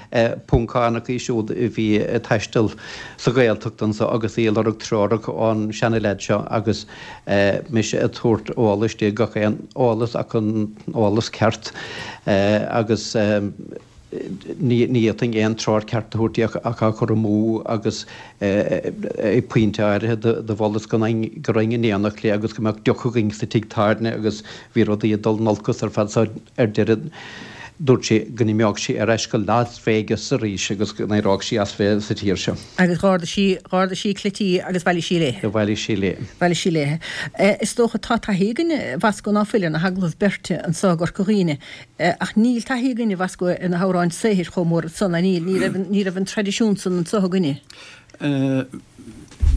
Poncánach í siúd a bhí ag taisteal sa Ghaeltacht anso agus í ag lorg treorach ón seana-leaid seo agus mise ag tabhairt eolais di, gach aon eolas ach an eolas ceart agus ní fhéadfainn aon treoir ceart a thabhairt di ach á cur amú agus ag pointe áirithe do mholas go raghainn in éineacht léi agus go mbeadh deoch againn sa tigh tábhairne agus bhí rudaí ag dul in olcas ar fad so ar deireadh dúirt sí go n-imeodh sí ar ais go Las Vegas arís agus go n-éireodh sí as bheith sa tír seo. Agus dh'ardaigh sí, dh'ardaigh sí cleití agus bhailigh sí léi. Bhailigh sí léi. Bhailigh sí léi. Is dócha tá taithí againn a Bhasco ná fuil ar na hagallaimh beirte anso i gCorca Dhuibhne. Ach níl taithí againn a Bhasco ar na hamhráin saothair chomh mór san, ná níl, ní raibh, ní raibh an traidisiún san anso againne.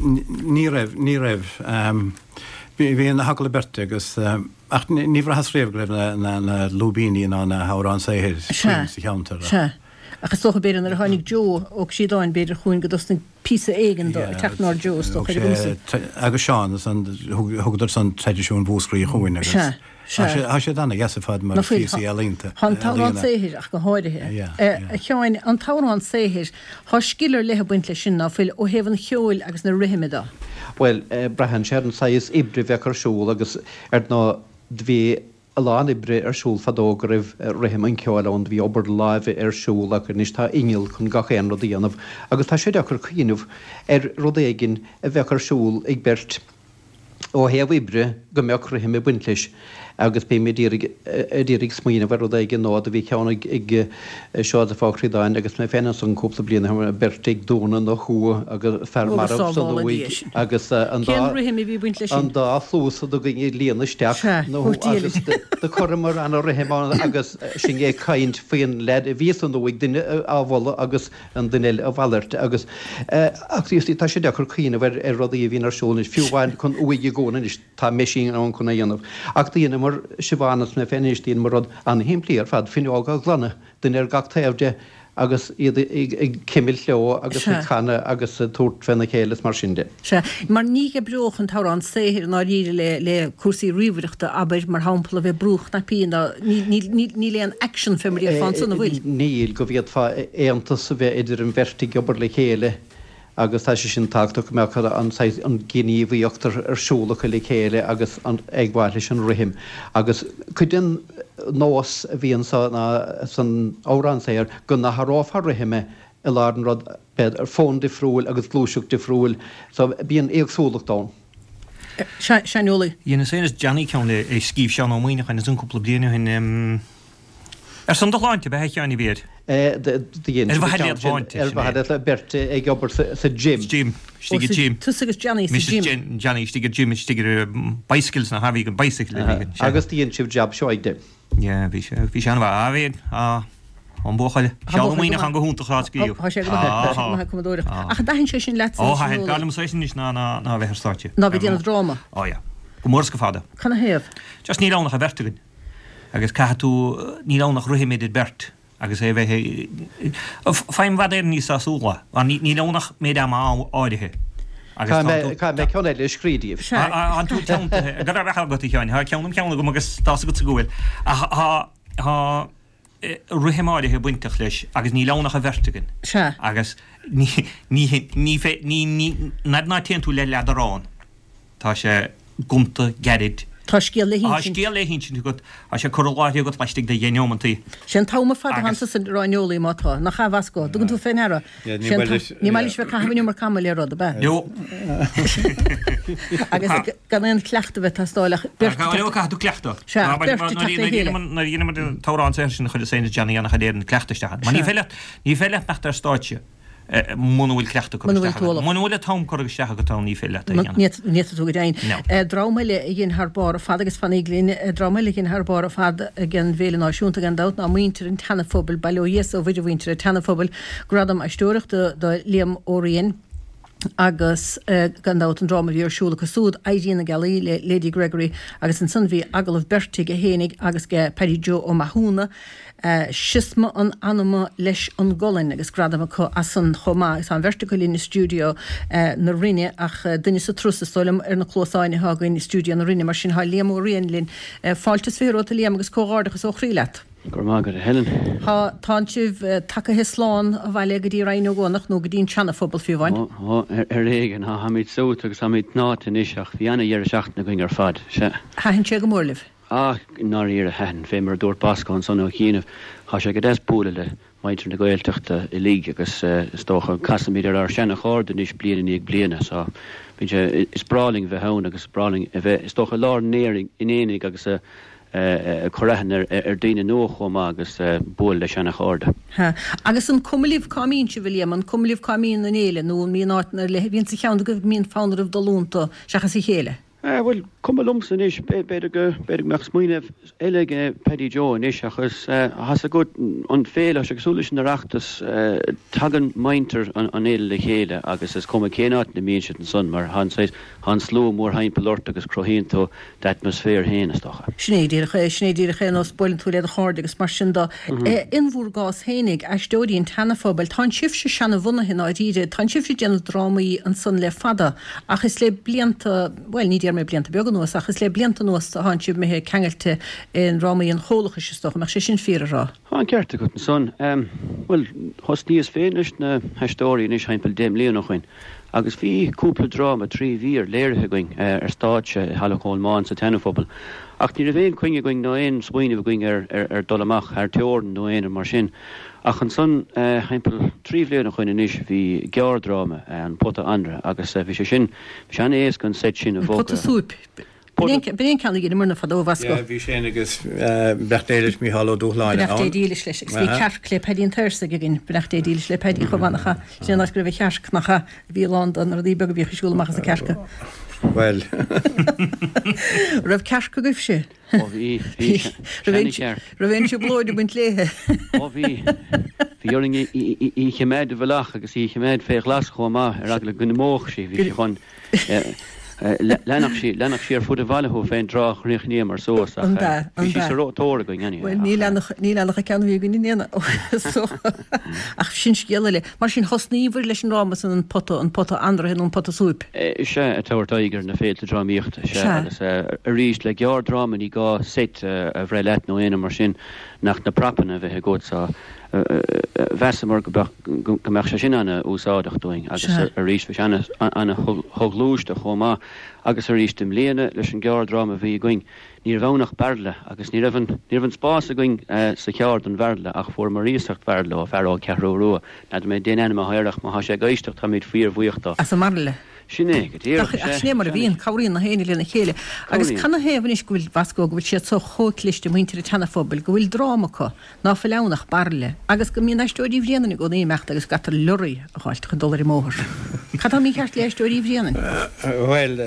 Ní raibh, ní raibh. Bhí na hagallaimh beirte agus, ach ní bhraitheas riamh go raibh na, na, na lúibíní ná na hamhráin saothair faoin sa cheantar. Sea. Ach is dócha, b'fhéidir, nuair a tháinig Joe Ó Críodáin, b'fhéidir chugainn go dtosnaigh píosa éigin de ag teacht in ord Joe, is dócha, ar an gcumas. Agus Seán, san, thugadar san traidisiún Mhúscraí chugainn agus. Sea. Sea. Tá siad ana-dheas ar fad mar phíosaí ealaíonta. Tá an t-amhrán saothair ach go háirithe. A Sheáin, an t-amhrán saothair, tá scil ar leith ag baint leis sin, ná fuil, ó thaobh an cheoil agus na rithime de? Bhuel, braitheann sé ar an saghas oibre a bheadh ar siúl agus ar ndóigh do bhí a lán oibre ar siúl fadó go raibh rithim an cheoil ann, do bhí obair láimhe ar siúl ach anois tá inneall chun gach aon rud a dhéanamh agus tá sé deacair cuimhneamh ar rud éigin a bheadh ar siúl ag beirt ó thaobh oibre go mbeadh rithim ag baint leis agus bím ag iarraidh ag iarraidh smaoineamh ar rud éigin nó do bhí ceann ag ag Seosamh Ó Críodáin agus mé féin ansan cúpla bliain ó shin, beirt ag dúnadh na huaighe agus fear marbh san uaigh agus an dá Cén rithim a bhí ag baint leis sin? an dá chluas againn ag líonadh isteach na agus do chuireamar ana rithim ann agus sinn ag caint faoin leaid a bhí san uaigh, duine á mholadh agus an duine eile a mhalairt agus ach you see tá sé deacair cuimhneamh ar ar rudaí a bhíonn ar siúl anois, fiú amháin chun uaigh a dhúnadh anois tá meaisín ann chun é a dhéanamh. Ach dheineamar, Siobhán is mé féin anois, dheineamar rud an-shimplí ar fad, fuinneog a ghlanadh, duine ar gach taobh de agus iad ag cuimilt leo agus ag canadh agus ag tabhairt féna chéile is mar sin de. Sea, mar ní oibreodh an t-amhrán saothair i ndáiríre le, le cúrsaí ríomhaireachta, abair, mar shampla, a bheith ag brú cnaipí ná, níl, níl, níl aon action fé mar a déarfá ansan, an bhfuil? Níl, go bhféadfá aontas a bheith idir an bheirt ag obair le chéile agus tá sé sin tábhachtach go mbeadh an saghas, an ghníomhaíocht ar siúl acu le chéile agus an, ag gabháil leis an rithim. Agus cuid den nós a bhí anso ná san amhrán saothair go n-athrófá rithim i lár an rud, b'fhéidir fonn difriúil agus gluaiseacht difriúil, so bíonn éagsúlacht ann. Shaineolaí. Dheineas féin is Johnny ceann le a scríobh Seán Ó Muimhneacháin ansan cúpla bliain ó shin. Ar son do shláinte, ab ea a Sheáin a bhí air? Do dhein Ar mhaithe le sláinte, Ar mhaithe le beirt ag obair sa gym. Gym, istigh i gym. Tusa agus Johnny sa gym. Mise Johnny istigh i gym, istigh ar bicycles na bhí an bicycle a bhí. Agus do dhein sibh jab seoigh de. Yeah, bhí sé, bhí sé an-mhaith. Ah, bhí, ah, an buachaill. Seán Ó Muimhneacháin go hiontach á scríobh. Tá sé go maith, tá sé go maith ag cumadóireacht. Ach an dtaitníonn sé sin leatsa Ó, thaitin, b'fhearr liomsa é sin anois ná, ná, ná a bheith ar stáitse. Ná bheith ag déanamh dráma. Ó, yeah. Go mór is go fada. Canathaobh? Just níl ann ach an bheirt againn. Agus caithfidh tú, níl ann ach rithim idir beirt. Agus é a bheith, faighim i bhfad Éireann níos sásúla, mar níl ann ach méid ama áirithe. Agus tá tú. Caithfidh mé ceann eile a scríobh díobh. Tá tú teanntaithe. Go raibh maith agat, a Sheáin. Tá ceann im cheann agam agus tá's agatsa go bhfuil. Ach tá, tá. rithim áirithe bainteach leis agus níl ann ach an bheirt againn. Sea. Agus ní, ní, ní, ní, ní, n'fheadar ná téann tú le leadrán. Tá sé gonta, gairid. Tá scéal le hinsint. Tá scéal le hinsint agat. Tá sé curtha i láthair agat laistigh de dheich neomantaí. Sé an t-am ar fad atá ansa a rá Neilí má tá. Nach ea, a Bhasco? Dtugann tú fé ndeara? Ní maith leis. Ní maith leis bheith ag caitheamh an iomarca ama le rud, ab ea? No. Agus gan aon chleachtadh a bheith ag teastáil ach beirt ag teacht. Caithfidh tú cleachtadh. Sea, ach beirt ag teacht le chéile. Nuair a dheineamar an t-amhrán saothair sin chuir Saint Johnny ana-chuid Éireann cleachtadh isteach ann. Mar ní féidir leat, ní féidir leat imeacht ar stáitse muna bhfuil cleachtadh curtha isteach agat. Muna bhfuil an t-am curtha isteach agat ann ní féidir leat é a dhéanamh. Ní fhéadfaidh tú go deimhin. Dream eile a dhein thar barr ar fad agus fanaíg linn, dream eile a dhein thar barr ar fad ag an bhFéile Náisiúnta gan dabht ná muintir an tSeana-Phobail, bail ó Dhia 's ó Mhuire ar mhuintir an tSeana-Phobail, gradam aisteoireachta do Liam Ó Riain agus gan dabht an dráma a bhí ar siúl acu súd, Éirí na Gealaí le Lady Gregory agus ansan bhí agallamh beirte aige fhéinig agus age Paddy Joe Ó Mathúna, Siosma an Anama leis an gColainn agus gradam acu as san chomh maith agus tá an bheirt acu linn i stiúideo na Rinne ach duine sa turas is dóigh liom ar na cluasáin atá againn i stiúideo na Rinne mar sin tá Liam Ó Riain linn. Fáilte is 20 romhat a Liam agus comhghairdeachas ó chroí leat. Go raibh maith agat a Helen. Tá, tánn sibh tagaithe slán abhaile go dtí Rinn Ó gCuanach nó go dtí an tSeana-Phobal fiú amháin. Ó, ar éigean. Táimid suaite agus táimid tnáite anois ach bhí ana-dheireadh seachtaine againn ar fad. Sea. Thaitin sé go mór libh? Ah, i ndáiríre, thaitin. Fé mar a dúirt Bosco ansan ó chianaibh, tá sé go deas bualadh le muintir na Gaeltachta uilig agus is dócha casaimid ar ár seana-chairde anois bliain i ndiaidh bliana so bíonn sé, is breá linn bheith ann agus is breá linn a bheith, is dócha, i lár an aonaigh agus ag cur aithne ar daoine nua chomh maith agus bualadh le seana-chairde. Ha. Agus an cuma libh cá mbíonn sibh, a Liam, an cuma libh cá mbíonn an fhéile nó an mbíonn áiteanna ar leith a bhíonn sa cheann agaibh go mbíonn fonn oraibh dul iontu seachas a chéile? Bhuel, cuma liomsa anois, b'fhéidir go, b'fhéidir go mbeadh smaoineamh eile ag Paddy Joe anois ach is, tá's agat, an féile, tá sé cosúil leis an Oireachtas, tagann muintir an fhéile le chéile agus is cuma cén áit ina mbíonn siad ansan mar tá an saghas, tá an slua mórthimpeall ort agus cruthaíonn tú d'atmaisféar féin, is dócha. Sin é díreach é, sin é díreach é, nós buaileann tú le do chairde agus mar sin de. In bhur gcás fhéinig, Aisteoirí an tSeana-Phobail, tánn sibhse seana-bhunaithe i ndáiríre, tánn sibhse ag déanamh drámaí ansan le fada ach is le blianta, bhuel ní déarfaidh mé blianta beaga anuas ach is le blianta anuas atánn sibh imithe ceangailte i ndrámaí an Chomhlachais is dócha, an mbeadh sé sin fíor a rá? Tá an ceart agat ansan. Bhuel, thosnaíos féin leis na hAisteoirí anois thimpeall 10 mbliana ó shoin. Agus bhí cúpla dráma 3 mhír léirithe againn ar stáitse i Halla Cholmáin sa tSeana-Phobal. Ach ní raibh aon chuing againn ná aon smaoineamh againn ar ar dul amach thar teorainn nó aon rud mar sin. Ach ansan, thimpeall 3 bhliain ó shoin anois, bhí gearrdráma, An Pota Anraith, agus bhí sé sin, bhí sé an-éasca an seit sin a bhogadh. An Pota Súip. B'in é an ceann a dheineamarna fadó, a Bhasco. Yeah, bhí sé agus beannacht Dé leis Mícheál Ó Dúshláine ann. Beannacht Dé dílis leis. Agus bhí cearc le Paddy an tSaorsaigh againn, beannacht Dé dílis le Paddy chomh maith, nach ea? Sin an áit go raibh an chearc, nach ea? A bhí lán de na rudaí beaga a bhíodh ag siúl amach as an cearca. Bhuel. Raibh cearc agaibhse? Ó bhí, bhí. Seana-chearc. Raibh aon trioblóid ag baint léithe? Ó bhí. Bhí orainn í a choimeád i bhfolach agus í a choimeád fé ghlas chomh maith ar eagla go n-imeodh sí. Bhí sí chun. Leanfadh sí, leanfadh sí ar fud an bhaile thú fén dtráth a chríochnaíomar suas ach bhí sí sa tóir againn anyway. Bhuel ní leanfadh, ní leanfadh an ceann a bhí againn in aon so ach sin scéal eile. Mar sin thosnaíobhair leis an ndráma san an pota, an pota anraithe nó an pota súip? Sea, ag tabhairt aghaidh ar na féilte drámaíochta, sea agus arís le gearrdráma ní gá seit a bhreith leat nó aon rud mar sin ach na prapanna a bheith agat so mheasamar go mbeadh sé sin an-úsáideach dúinn agus arís bhí sé an-shoghluaiste chomh maith agus arís i mbliana leis an gearrdráma a bhí againn ní raibh ann ach bairille agus ní raibh an ní raibh an spás againn sa charr don bhairille ach fuaireamar iasacht bhairille ó fear ó Ceathrú Rua, n'fheadar mé dén ainm atá air ach má thá sé ag éisteacht táimid fíor-bhuíoch dó. As an mbairille. Sin é, go díreach, sea. Ach sin é mar a bhíonn, cabhraíonn na héinne lena chéile. Agus canathaobh anois go bhfuil, Bhasco, go bhfuil siad so chomh cliste, muintir an tSeana-Phobail, go bhfuil dráma acu, ná fuil ann ach bairille, agus go mbíonn Aisteoirí Bhréanainn i gcónaí ag imeacht agus go gcaitear lorry a dh'fháilt chun dul ar an mbóthar. Cad tá mícheart le Aisteoirí Bhréanainn? Bhuel,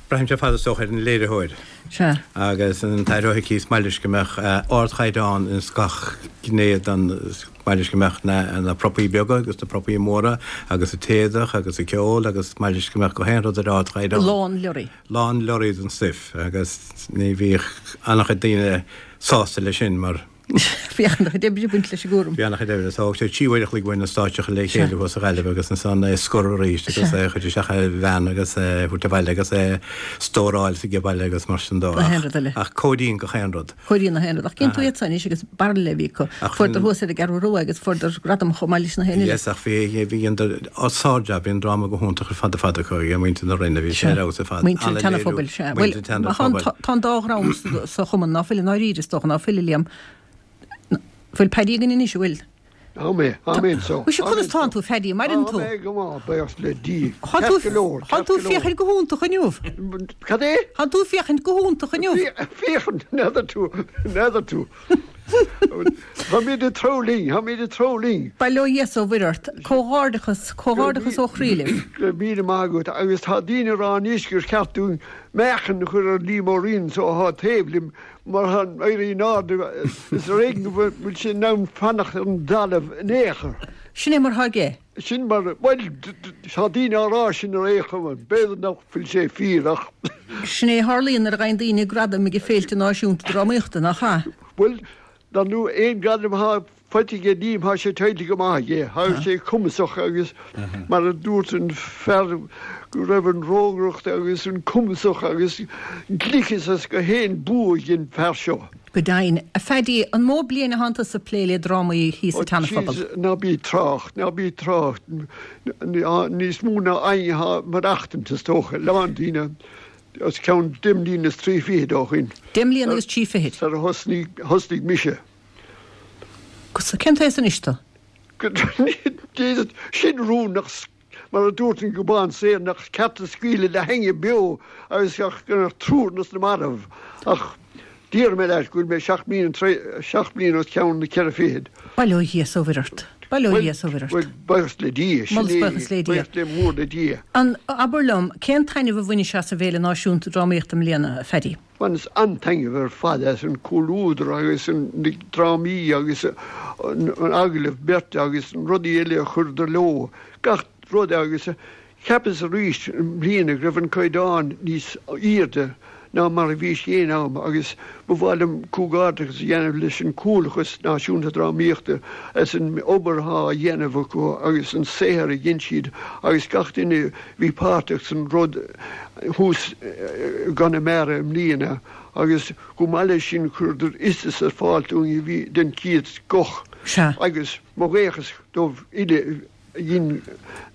braitheann sé ar fad is dócha ar an léiritheoir. Sea. Agus an tAthair Ó hIcí is maith leis go mbeadh ardchaighdeán ins gach gné den, is maith leis go mbeadh na propaí beaga agus na propaí móra agus an t-éadach agus an ceol agus is maith leis go mbeadh gach aon rud ar ardchaighdeán. Lán leoraí. Lán leoraí den stuif agus ní bhíodh an-chuid daoine sásta leis sin mar. Bhí an-chuid oibre ag baint leis an gcúram. Bhí an-chuid oibre. So thóg sé 3 uair a chloig uainn an stáitse a chur le chéile thuas sa Ghaillimh agus ansan é a scoradh arís agus é a chur isteach ar veain agus é a thabhairt abhaile agus é a stóráil sa baile agus mar sin dó. Ach cóiríonn gach aon rud. Cóiríonn gach aon rud. Ach cén tú iad san anois agus bairille a bhí acu. Fuaireadar thuas ar an gCeathrú Rua agus fuaireadar gradam chomh maith leis na haon eile. Yes, ach bhí, bhí an sár-jab, bhí an dráma go hiontach ar fad ar fad acu, ag muintir na Rinne, bhí sé ar fheabhas ar fad. Muintir an tSeana-Phobail, sea. Bhuel, tá an dá dhream sa chumann, ná fuil i ndáiríre, is dócha, ná fuil, a Liam? Bhfuil Paddy againn anois, an bhfuil? Tá mé, tá mé anso. Mhuise, conas tánn tú, Phaddy, maireann tú? Tá mé go maith, buíochas le Dia. Ceart go leor, ceart go leor. Tánn tú féachaint go hiontach inniu. Cad é? Tánn tú féachaint go hiontach inniu. Féachaint, n'fheadar tú, n'fheadar tú. Táimid ag treabhadh linn, táimid ag treabhadh linn. Bail ó Dhia 's ó Mhuire ort. Comhghairdeachas, comhghairdeachas ó chroí libh. Go raibh míle maith agat. Agus tá daoine ag rá anois gur cheart dúinn meáchan a chur ar Liam Ó Rinn so atá taobh liom Mar tá éirithe in airde is ar éigean go bhfuil sé in ann fanacht ar an dtalamh in aon chor. Sin é mar atá aige. Sin mar, bhuel, tá daoine á rá sin ar aon chuma, b'fhéidir nach bhfuil sé fíor ach. Sin é a tharlaíonn nuair a gheibheann daoine gradaim ag féilte náisiúnta drámaíochta, nach ea? Bhuel, dar ndóigh, aon ghradam atá faighte aige Liam, tá sé tuillte go maith aige. Tá sé cumasach agus mar a dúirt an fear go raibh an rógaireacht agus an cumasach agus gliceas as gach aon bua ag an fear seo. Go deimhin. A Phaddy, an mó bliain atánn tusa ag plé le drámaí thíos sa tSeana-Phobal? Jeez, ná bí ag trácht, ná bí ag trácht. Níos mó ná éinne atá ag maireachtaint, is dócha. A lán daoine, os cionn deich mbliana is trí fichid ó shin. Deich mbliana agus trí fichid. Sar a thosnaigh mise. Cén t-aos anois tú? Jesus, sin rún nach, mar a dúirt an Gobán Saor, nach ceart a scaoileadh le héinne beo agus ach go mbeadh triúr dos na mairbh. Ach déarfaidh mé leat go bhfuil mé seacht mbliana, seacht mbliana os cionn na ceithre fichid. Bail ó Dhia 's ó Mhuire ort. Bail ó Dhia 's ó Mhuire ort. Bhuel, buíochas le Dia, sin é, buíochas le Dia. Buíochas le mór le Dia. An, abair liom, cén taitneamh a bhainis as an bhFéile Náisiúnta Drámaíochta i mbliana, a Phaddy? Bhaineas an-taitneamh ar fad as an comhluadar agus na drámaí agus an agallamh beirte agus na rudaí eile a chuireadar leo, gach rud agus cheapas arís i mbliana go raibh an caighdeán níos aoirde ná mar a bhí sé aon am agus ba mhaith liom comhghairdeachas a dhéanamh leis an Comhlachas Náisiúnta Drámaíochta as an obair atá á dhéanamh acu agus an saothar a dhein siad agus gach duine bhí páirteach san rud thuas i gConamara i mbliana agus chomh maith leis sin chuireadar iostas ar fáil dúinn a bhí den chéad scoth Sea. agus mo bhuíochas dóibh uile a dhein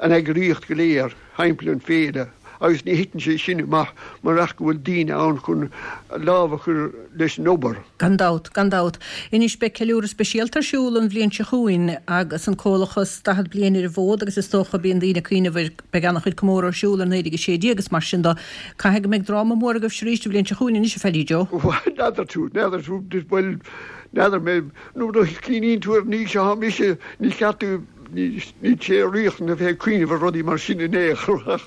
an eagraíocht go léir thimpeall an féile agus ní thiteann sé sin amach murach go bhfuil daoine ann chun lámh a chur leis an obair. Gan dabht, gan dabht. Anois beidh ceiliúradh speisialta ar siúl an bhliain seo chugainn agus an Comhlachas 40 bliain ar an bhfód agus is dócha bíonn daoine ag cuimhneamh ar Beidh an-chuid comóradh ar siúl ar 1916 agus mar sin de. Caithfidh go mbeidh dráma mór agaibhse arís an bhliain seo chugainn anois, a Phaddy Joe. Bhuel, n'fheadar tú, n'fheadar tú, bhuel, n'fheadar mé, nuair a chuimhníonn tú ar an aois atá mise, ní ceart tú, níl sé riachtanach a bheith ag cuimhneamh ar rudaí mar sin in aon chor ach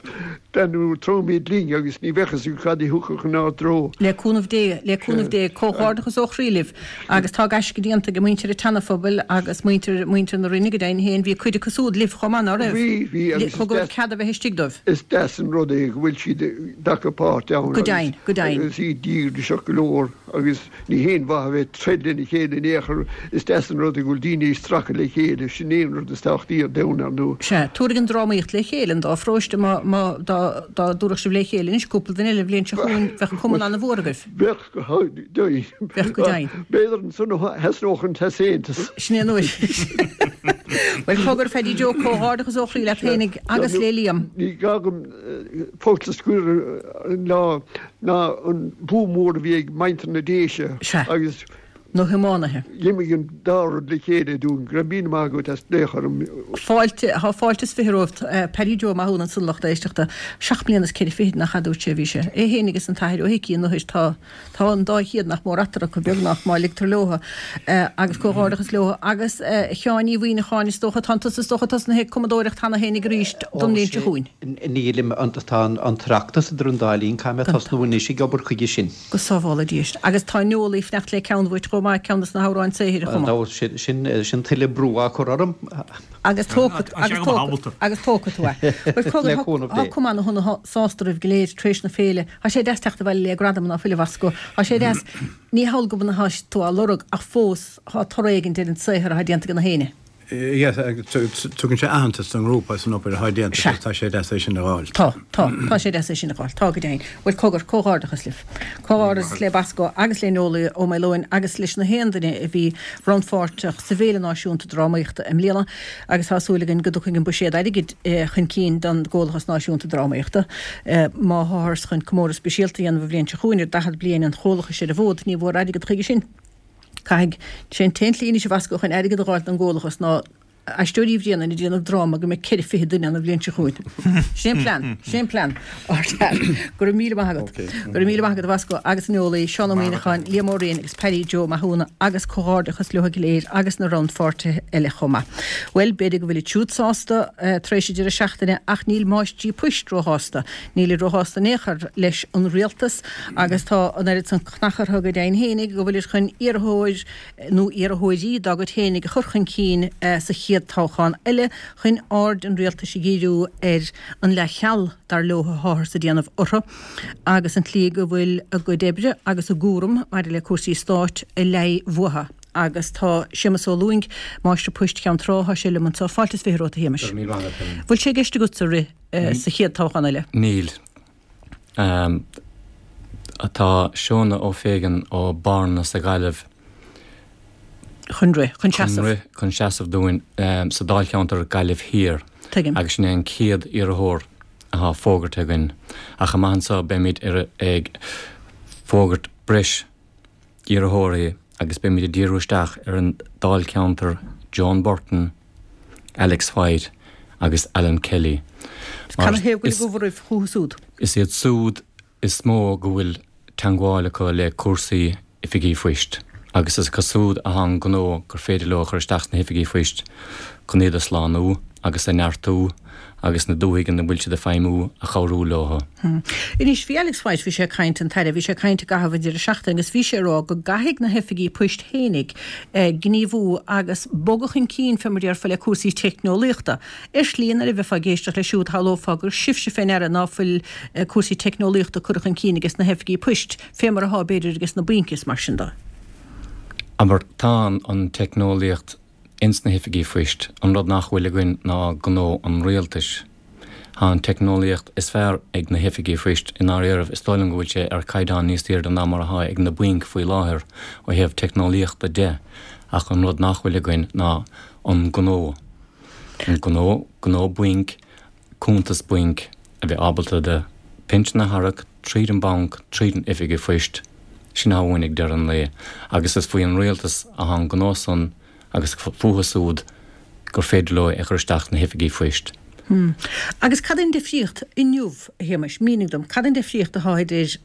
dar ndóigh treabhaimid linn agus ní bheadh fhios againn cad a thiocfadh inár dtreo. Le cúnamh Dé, le cúnamh Dé, comhghairdeachas ó chroí libh. Agus tá gaisce déanta ag muintir an tSeana-Phobail agus muintir, muintir na Rinne go deimhin féin, bhí cuid acu siúd libh chomh maith, ná raibh? Bhí, bhí agus is Thugadar deas, cead a bheith istigh dóibh. is deas an rud é go bhfuil siad ag glacadh páirt ann Go deimhin, go deimhin. agus iad díograiseach go leor agus ní haon mhaith a bheith ag troid lena chéile in aon chor, is deas an rud é go bhfuil daoine ag stracadh le chéile, sin é an rud is tábhachtaí ar domhan, ar ndóigh. Sea, tabharfaidh an drámaíocht le chéile an dá pharóiste, má, má, dá, dá dtabharfadh sibh le chéile anois cúpla duine eile an bhliain seo chugainn, bheadh cumann an-mhór agaibh. Bheadh go deimhin. Bheadh go deimhin. B'fhéidir ansan a thosnódh an t-easaontas. Sin é an uair. Bhuel, cogar, Phaddy Joe, comhghairdeachas ó chroí leat féinig agus le Liam. Ní gá dom focal a scur an lá ná an bua mór a bhí ag muintir na Déise agus. na hiománaithe. D'imigh an dá rud le chéile dúinn. Go raibh míle maith agat as glaoch orm. Fáilte, tá fáilte is fiche romhat. Paddy Joe Mathúna ansan lucht éisteachta. Seacht mbliana is ceithre fichid nach ea dúirt sé a bhí sé. É féinig is an tAthair Ó hIcí an uair tá tá an dá chéad nach mór eatarthu acu beagnach má ligtear leo agus comhghairdeachas leo. Agus a Sheáin Uí Mhuimhneacháin is dócha tánn tusa is dócha tosnaithe ag cumadóireacht cheana féinig arís don bhliain seo chugainn. Nílim, tá an tOireachtas idir an dá linn, caithfidh mé tosnú anois ag obair chuige sin. Go sábhála Dia sinn. Agus tá Noel ag fanacht le ceann uait chomh maith. chomh maith, ceann de na hamhráin saothair a chumadh. Sin, sin tuilleadh brú á chur orm. Agus tógfaidh, agus tógfaidh, agus tógfaidh tú é. Bhuel, cogar, Le cúnamh tá Dé. cuma ana shona sásta oraibh go léir tar éis na féile. Tá sé deas teacht abhaile le gradam ná fuil a Bhosco. Tá sé deas, ní hamhail go bhfuil atá tú á lorg ach fós tá toradh éigin ar an saothar atá déanta ag na héinne. Yes, tugann sé aitheantas don ngrúpa as an obair atá déanta agus tá sé deas é sin a fháil. Tá, tá, tá sé deas é sin a fháil, tá go deimhin. Bhuel, cogar, comhghairdeachas libh. Comhghairdeachas le Bosco agus le Noelie Ó Maoileoin agus leis na haon duine a bhí rannpháirteach sa bhFéile Náisiúnta Drámaíochta i mbliana agus tá súil againn go dtiocfaidh an buiséad airgid chun cinn don gComhlachas Náisiúnta Drámaíochta. Má tháthar chun comóradh speisialta a dhéanamh an bhliain seo chugainn ar 40 bliain an Chomhlachais ar an bhfód, ní bhfuair airgead chuige sin. Caithfidh sé an t-aon tslí anois a Bhosco chun airgead a dh'fháilt don gComhlachas ná Aisteoirí Uí Bhraonáin ag déanamh dráma go mbeidh 4 fichid duine ann an bhliain seo chugainn. Sin é an plean. Sin é an plean. Ardfhear. Go raibh míle maith agat. Go raibh míle maith agat a Bhosco agus a Noelie, Seán Ó Muíneacháin, Liam Ó Rinn agus Paddy Joe Mathúna agus comhghairdeachas leo go léir agus na rannpháirtithe eile chomh maith. Bhuel, b'fhéidir go bhfuilid siúd sásta tar éis an deireadh seachtaine ach níl máistrí poist róshásta. Nílid róshásta in aon chor leis an rialtas agus tá an oiread san cnach orthu go deimhin fhéinig go bhfuilid chun iarrthóir nó iarrthóirí dá gcuid fhéinig a chur chun cinn sa chéad toghchán eile chun aird an rialtais a dhíriú ar an leathcheal dar leo atáthar ag déanamh orthu agus an tslí go bhfuil a gcuid oibre agus a gcúram maidir le cúrsaí stáit ag leí uathu. Agus tá Séamus Ó Lúing, Máistir Poist Cheann Trá, tá sé liom anseo. Fáilte is 20 romhat, a Shéamais. Go raibh míle maith agat, Helen. Bhfuil sé i gceist agatsa rith sa chéad toghchán eile? Níl. Tá Seona O'Fagan ó Bearna sa Ghaillimh chun rith, chun seasamh. Chun rith, chun seasamh dúinn sa dáilcheantar Gaillimh Thiar. Tuigim. Agus sin é an chéad iarrthóir atá fógartha againn. Ach amach anseo beimid ag fógairt breis iarrthóirí agus beimid ag díriú isteach ar an dáilcheantar Joan Burton, Alex White agus Alan Kelly. Mar is Canathaobh go bhfuil oraibh chucu súd? Is iad súd is mó go bhfuil teangmháil acu le cúrsaí oifigí phoist agus is acu súd athá an gnó gur féidir leo a chur isteach sna hoifigí phoist chun iad a shlánú agus a neartú agus na dúthaigh ina bhfuil siad ag feidhmiú a chabhrú leo. Anois, bhí Alex White, bhí sé ag caint, an tAire, bhí sé ag caint i gcaitheamh an deireadh seachtaine agus bhí sé ag rá go gcaithfidh na hoifigí poist fhéinig gníomhú agus bogadh chun cinn, fé mar a déarfá, le cúrsaí teicneolaíochta. Ar shlí, nuair a bheifeá ag éisteacht leis siúd, shamhlófá gur sibhse fé ndeara ná fuil cúrsaí teicneolaíochta curtha chun cinn ages na hoifigí poist, fé mar athá, b'fhéidir, ages na bainc is mar sin de. Abair, tá an teicneolaíocht Ins na hoifigí phoist, an rud nach bhfuil againn ná gnó an rialtais. Tá an teicneolaíocht is fearr ag na hoifigí phoist, i ndáiríribh is dóigh liom go bhfuil sé ar caighdeán níos airde ná mar atá ag na bainc faoi láthair ó thaobh teicneolaíochta de, ach an rud nach bhfuil againn ná an gnó. An gnó, gnó bainc, cuntas bainc, a bheith ábalta do phinsean a tharrac tríd an banc, tríd an oifig phoist, sin atá uainn ag deireadh an lae. Agus is faoi an rialtas athá an gnó san agus fúthu súd gur féidir leo é a chur isteach sna hoifigí phoist. Agus cad é an difríocht inniu, a Shéamais, mínigh dom, cad é an difríocht atá idir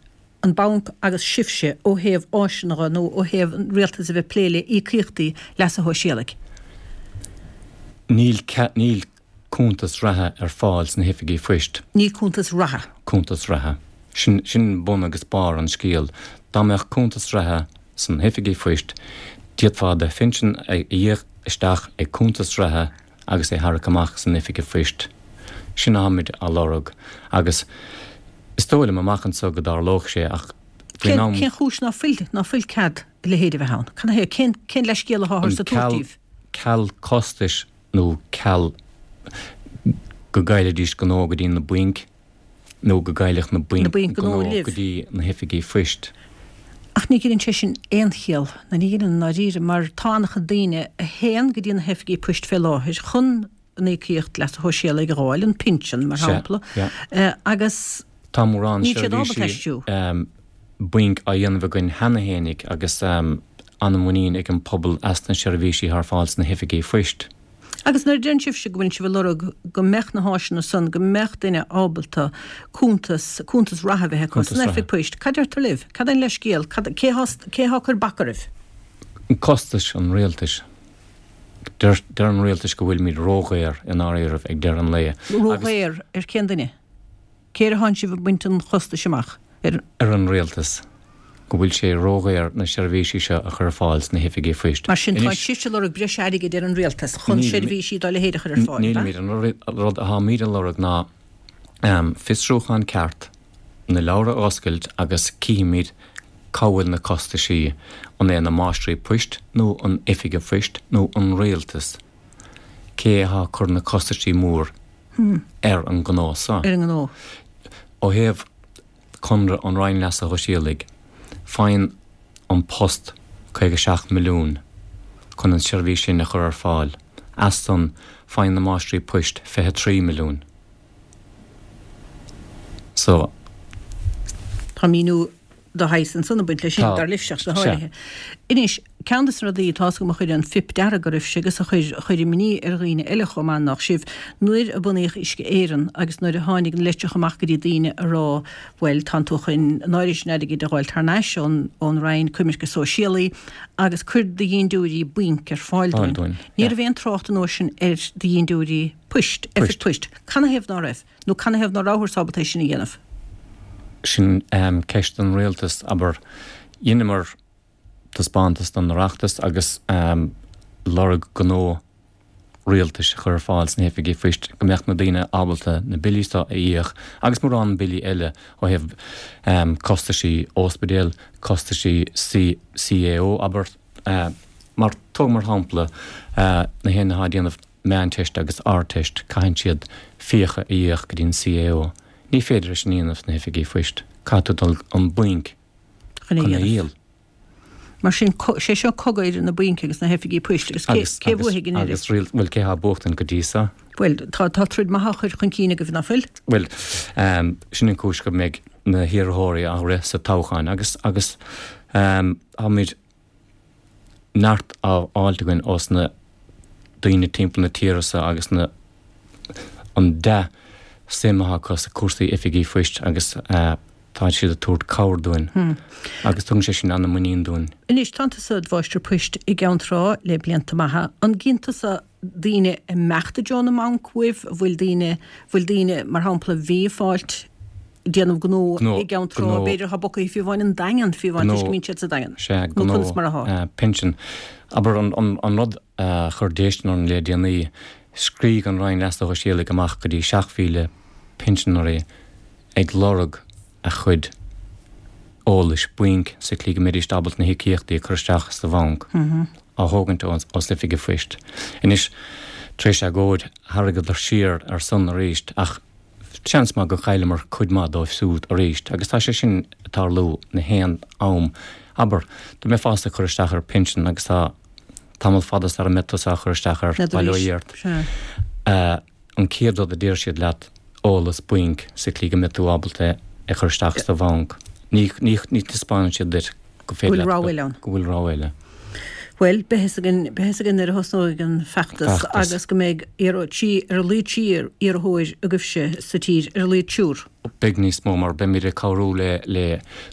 an banc agus sibhse ó thaobh áiseanna dhe nó ó thaobh an rialtas a bheith ag plé le íocaíochtaí leasa shóisialaigh? Níl, níl cuntas reatha ar fáil sna hoifigí phoist. Níl cuntas reatha. Cuntas reatha. Sin, sin bun agus barr an scéil. Dá mbeadh cuntas reatha sna hoifigí phoist, d'fhéadfá do phinsean a íoc isteach ag cuntas reatha agus é tharrac amach san oifig phoist. Sin atáimid á lorg. Agus is dóigh liom amach anso go dtarlódh sé ach faoin am. Cén chúis ná fuil, ná fuil cead a leithéid a bheith ann? Cad é, cén, cén leithscéal atáthar ag tabhairt daoibh? Ceal costais nó ceal go gcaillfidís gnó go dtí na bainc nó go gcaillfeadh na bainc gnó go dtí na hoifigí phoist. Ach ní ghineann sé sin aon chiall, nó ní ghineann i ndáiríre, mar tá an-chuid daoine a théann go dtí na hoifigí poist fé láthair chun an íocaíocht leasa shóisialaigh a dh'fháil, an pinsean, mar shampla, agus Tá mórán níl siad ábalta seirbhísí aistriú. bainc á dhéanamh againn cheana fhéinig agus an-mhuinín ag an pobal as na seirbhísí atá ar fáil sna hoifigí phoist. Agus nuair a deireann sibhse go bhfuil sibh ag lorg go mbeadh na háiseanna san, go mbeadh duine ábalta cuntas, cuntas reatha a bheith acu san oifig poist, cad deirtear libh? Cad é an leithscéal? Cad, cé thá, cé thá ag cur bac oraibh? Costais an rialtais. Deir, deir an rialtais go bhfuilimid ródhaor i ndáiríribh ag deireadh an lae. Ródhaor ar cén duine? Cé air a thánn sibh ag baint an chostais amach? Ar. Ar an rialtas. go bhfuil sé ródhaor na seirbhísí seo a chur ar fáil sna hoifigí phoist. Mar sin, tá sibhse ag lorg breis airgid ar an rialtas chun seirbhísí dá leithéid a chur ar fáil, ab ea? Nílimid. An rud atáimid a lorg ná fiosrúchán ceart, na leabhra a oscailt agus cífimid cá bhfuil na costaisí, an é na máistrí poist nó an oifige phoist nó an rialtas? Cé atá ag cur na costaisí mór ar an ngnó so? Ar an ngnó. Ó thaobh conradh an Roinn Leasa Shóisialaigh, faigheann An Post 57 milliún chun an seirbhís sin a chur ar fáil. As san, faigheann na máistrí poist 23 milliún. So. Tá míniú de shaghas ansan ag baint leis sin, dar libhse ach go háirithe. Anois, ceann de na rudaí atá 's agam a chuir an fuip dearg oraibhse agus a chuir chuir imní ar dhaoine eile chomh maith nách sibh, nuair a bunaíodh Uisce Éireann agus nuair a tháinig na litreacha amach go dtí daoine a rá bhuel tánn tú chun an áirid sin airgid a dh'fháilt thar n-ais ón ón Roinn Coimirce Sóisialaí agus cuir do dhindiúirí bainc ar fáil dúinn. Ní raibh aon trácht an uair sin ar do dhindiúirí poist, oifig poist. Canathaobh ná raibh? Nó canathaobh ná rabhthar ábalta é sin a dhéanamh? Sin ceist don rialtas, abair. Dheineamar taispeántas don Oireachtas agus lorg gnó rialtais a chur ar fáil sna hoifigí phoist go mbeadh na daoine ábalta na billí seo a íoc agus mórán billí eile ó thaobh costaisí óspidéal, costaisí CAO, abair. Mar, tóg mar shampla na héinne atá ag déanamh Meánteist agus Ardteist, caitheann siad fiacha a íoc go dtí an CAO. Ní féidir é sin a dhéanamh sna hoifigí phoist. Caithfidh tú dul an bainc chun é a dhíol. Mar sin, sé seo cogadh idir na bainc agus na hoifigí poist agus cé a bhuafaidh i ndeireadh? Agus riail, bhuel, cé atá ag buachtaint go dtí so? Bhuel, tá tá troid maith á chur chun cinn agaibh, ná fuil? Bhuel, sin an cúis go mbeidh na hiarrthóirí á rith sa toghchán agus agus táimid neart á fháilt againn ós na daoine timpeall na tíre so agus na an dea suim atá acu sa cúrsaí oifigí phoist agus tá siad ag tabhairt cabhair dúinn agus tugann sé sin ana muinín dúinn. Anois, tánn tusa id mháistir poist i gCeann Trá le blianta maithe. An gcíonn tusa daoine ag imeacht i dtreo na mbanc uaibh? Bhfuil daoine, bhfuil daoine, mar shampla, bhí ag fáilt, déanamh gnó i gCeann Trá, b'fhéidir, atá bogtha fiú amháin an Daingean, fiú amháin, toisc go mbíonn siad sa Daingean. Sea, gnó, conas mar atá? pinsean. Abair, an rud a chuir déistin orainn le déanaí, scrígh an Roinn Leasa Shóisialaigh amach go dtí 7,000 pinseanóirí ag lorg a chuid eolais bainc sa tslí go mbeidís ábalta na híocaíochtaí a chur isteach sa bhanc á thógaint ós oifig an phoist. Anois, tar éis agóid, tharraingeadar siar ar san arís ach seans maith gur chailleamar cuid maith dóibh siúd arís agus tá sé sin ag tarlú na haon am. Abair, dá mbeifeása ag cur isteach ar pinsean agus tá tamall fada sara mbeidh tusa á chur isteach air, bail ó Dhia ort. An chéad rud a deir siad leat, eolas bainc sa tslí go mbeidh tú ábalta é a chur isteach sa bhanc. Ní, ní, ní taispeánann siad duit go féidir leat, go bhfuil rogha eile ann. Go bhfuil rogha eile. Bhuel, beidh fhios againn, beidh fhios againn nuair a thosnóidh an feachtas agus go mbeidh iarr, trí, ar a laghad trí iarrthóir agaibhse sa tír, ar a laghad triúr. Beidh níos mó mar beimid ag cabhrú le, le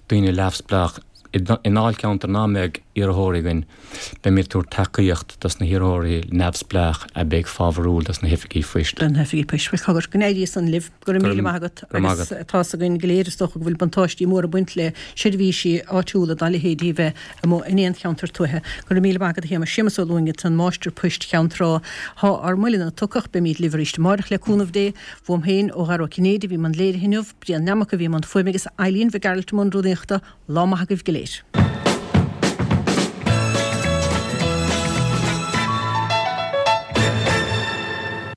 daoine neamhspleách i ndáilcheantar ná mbeidh iarrthóirí againn. Beimid ag tabhairt tacaíocht dos na hiarrthóirí neamhspleách a bheidh fábharúil dos na hoifigí phoist. Do na hoifigí poist. Bhuel, cogar, go n-éirí san libh. Go raibh míle maith agat. Agus tá's againn go léir, is dócha, go bhfuil buntáistí móra ag baint le seirbhísí áitiúla dá leithéidí a bheith amuigh in aon cheantar tuaithe. Go raibh míle maith agat, a Shéamais. Séamus Ó Lúing ansan, Máistir Poist Cheann Trá. Thá ár mbuille tugtha ach beimid libh arís amáireach le cúnamh Dé. Bhuam féin, ó Dhara Ó Cinnéide, a bhí i mbun léirithe inniu, Brian Nammock a bhí i mbun fuaime agus Eileen Mhic Gearailt i mbun rúnaíochta. Lá maith agaibh go léir.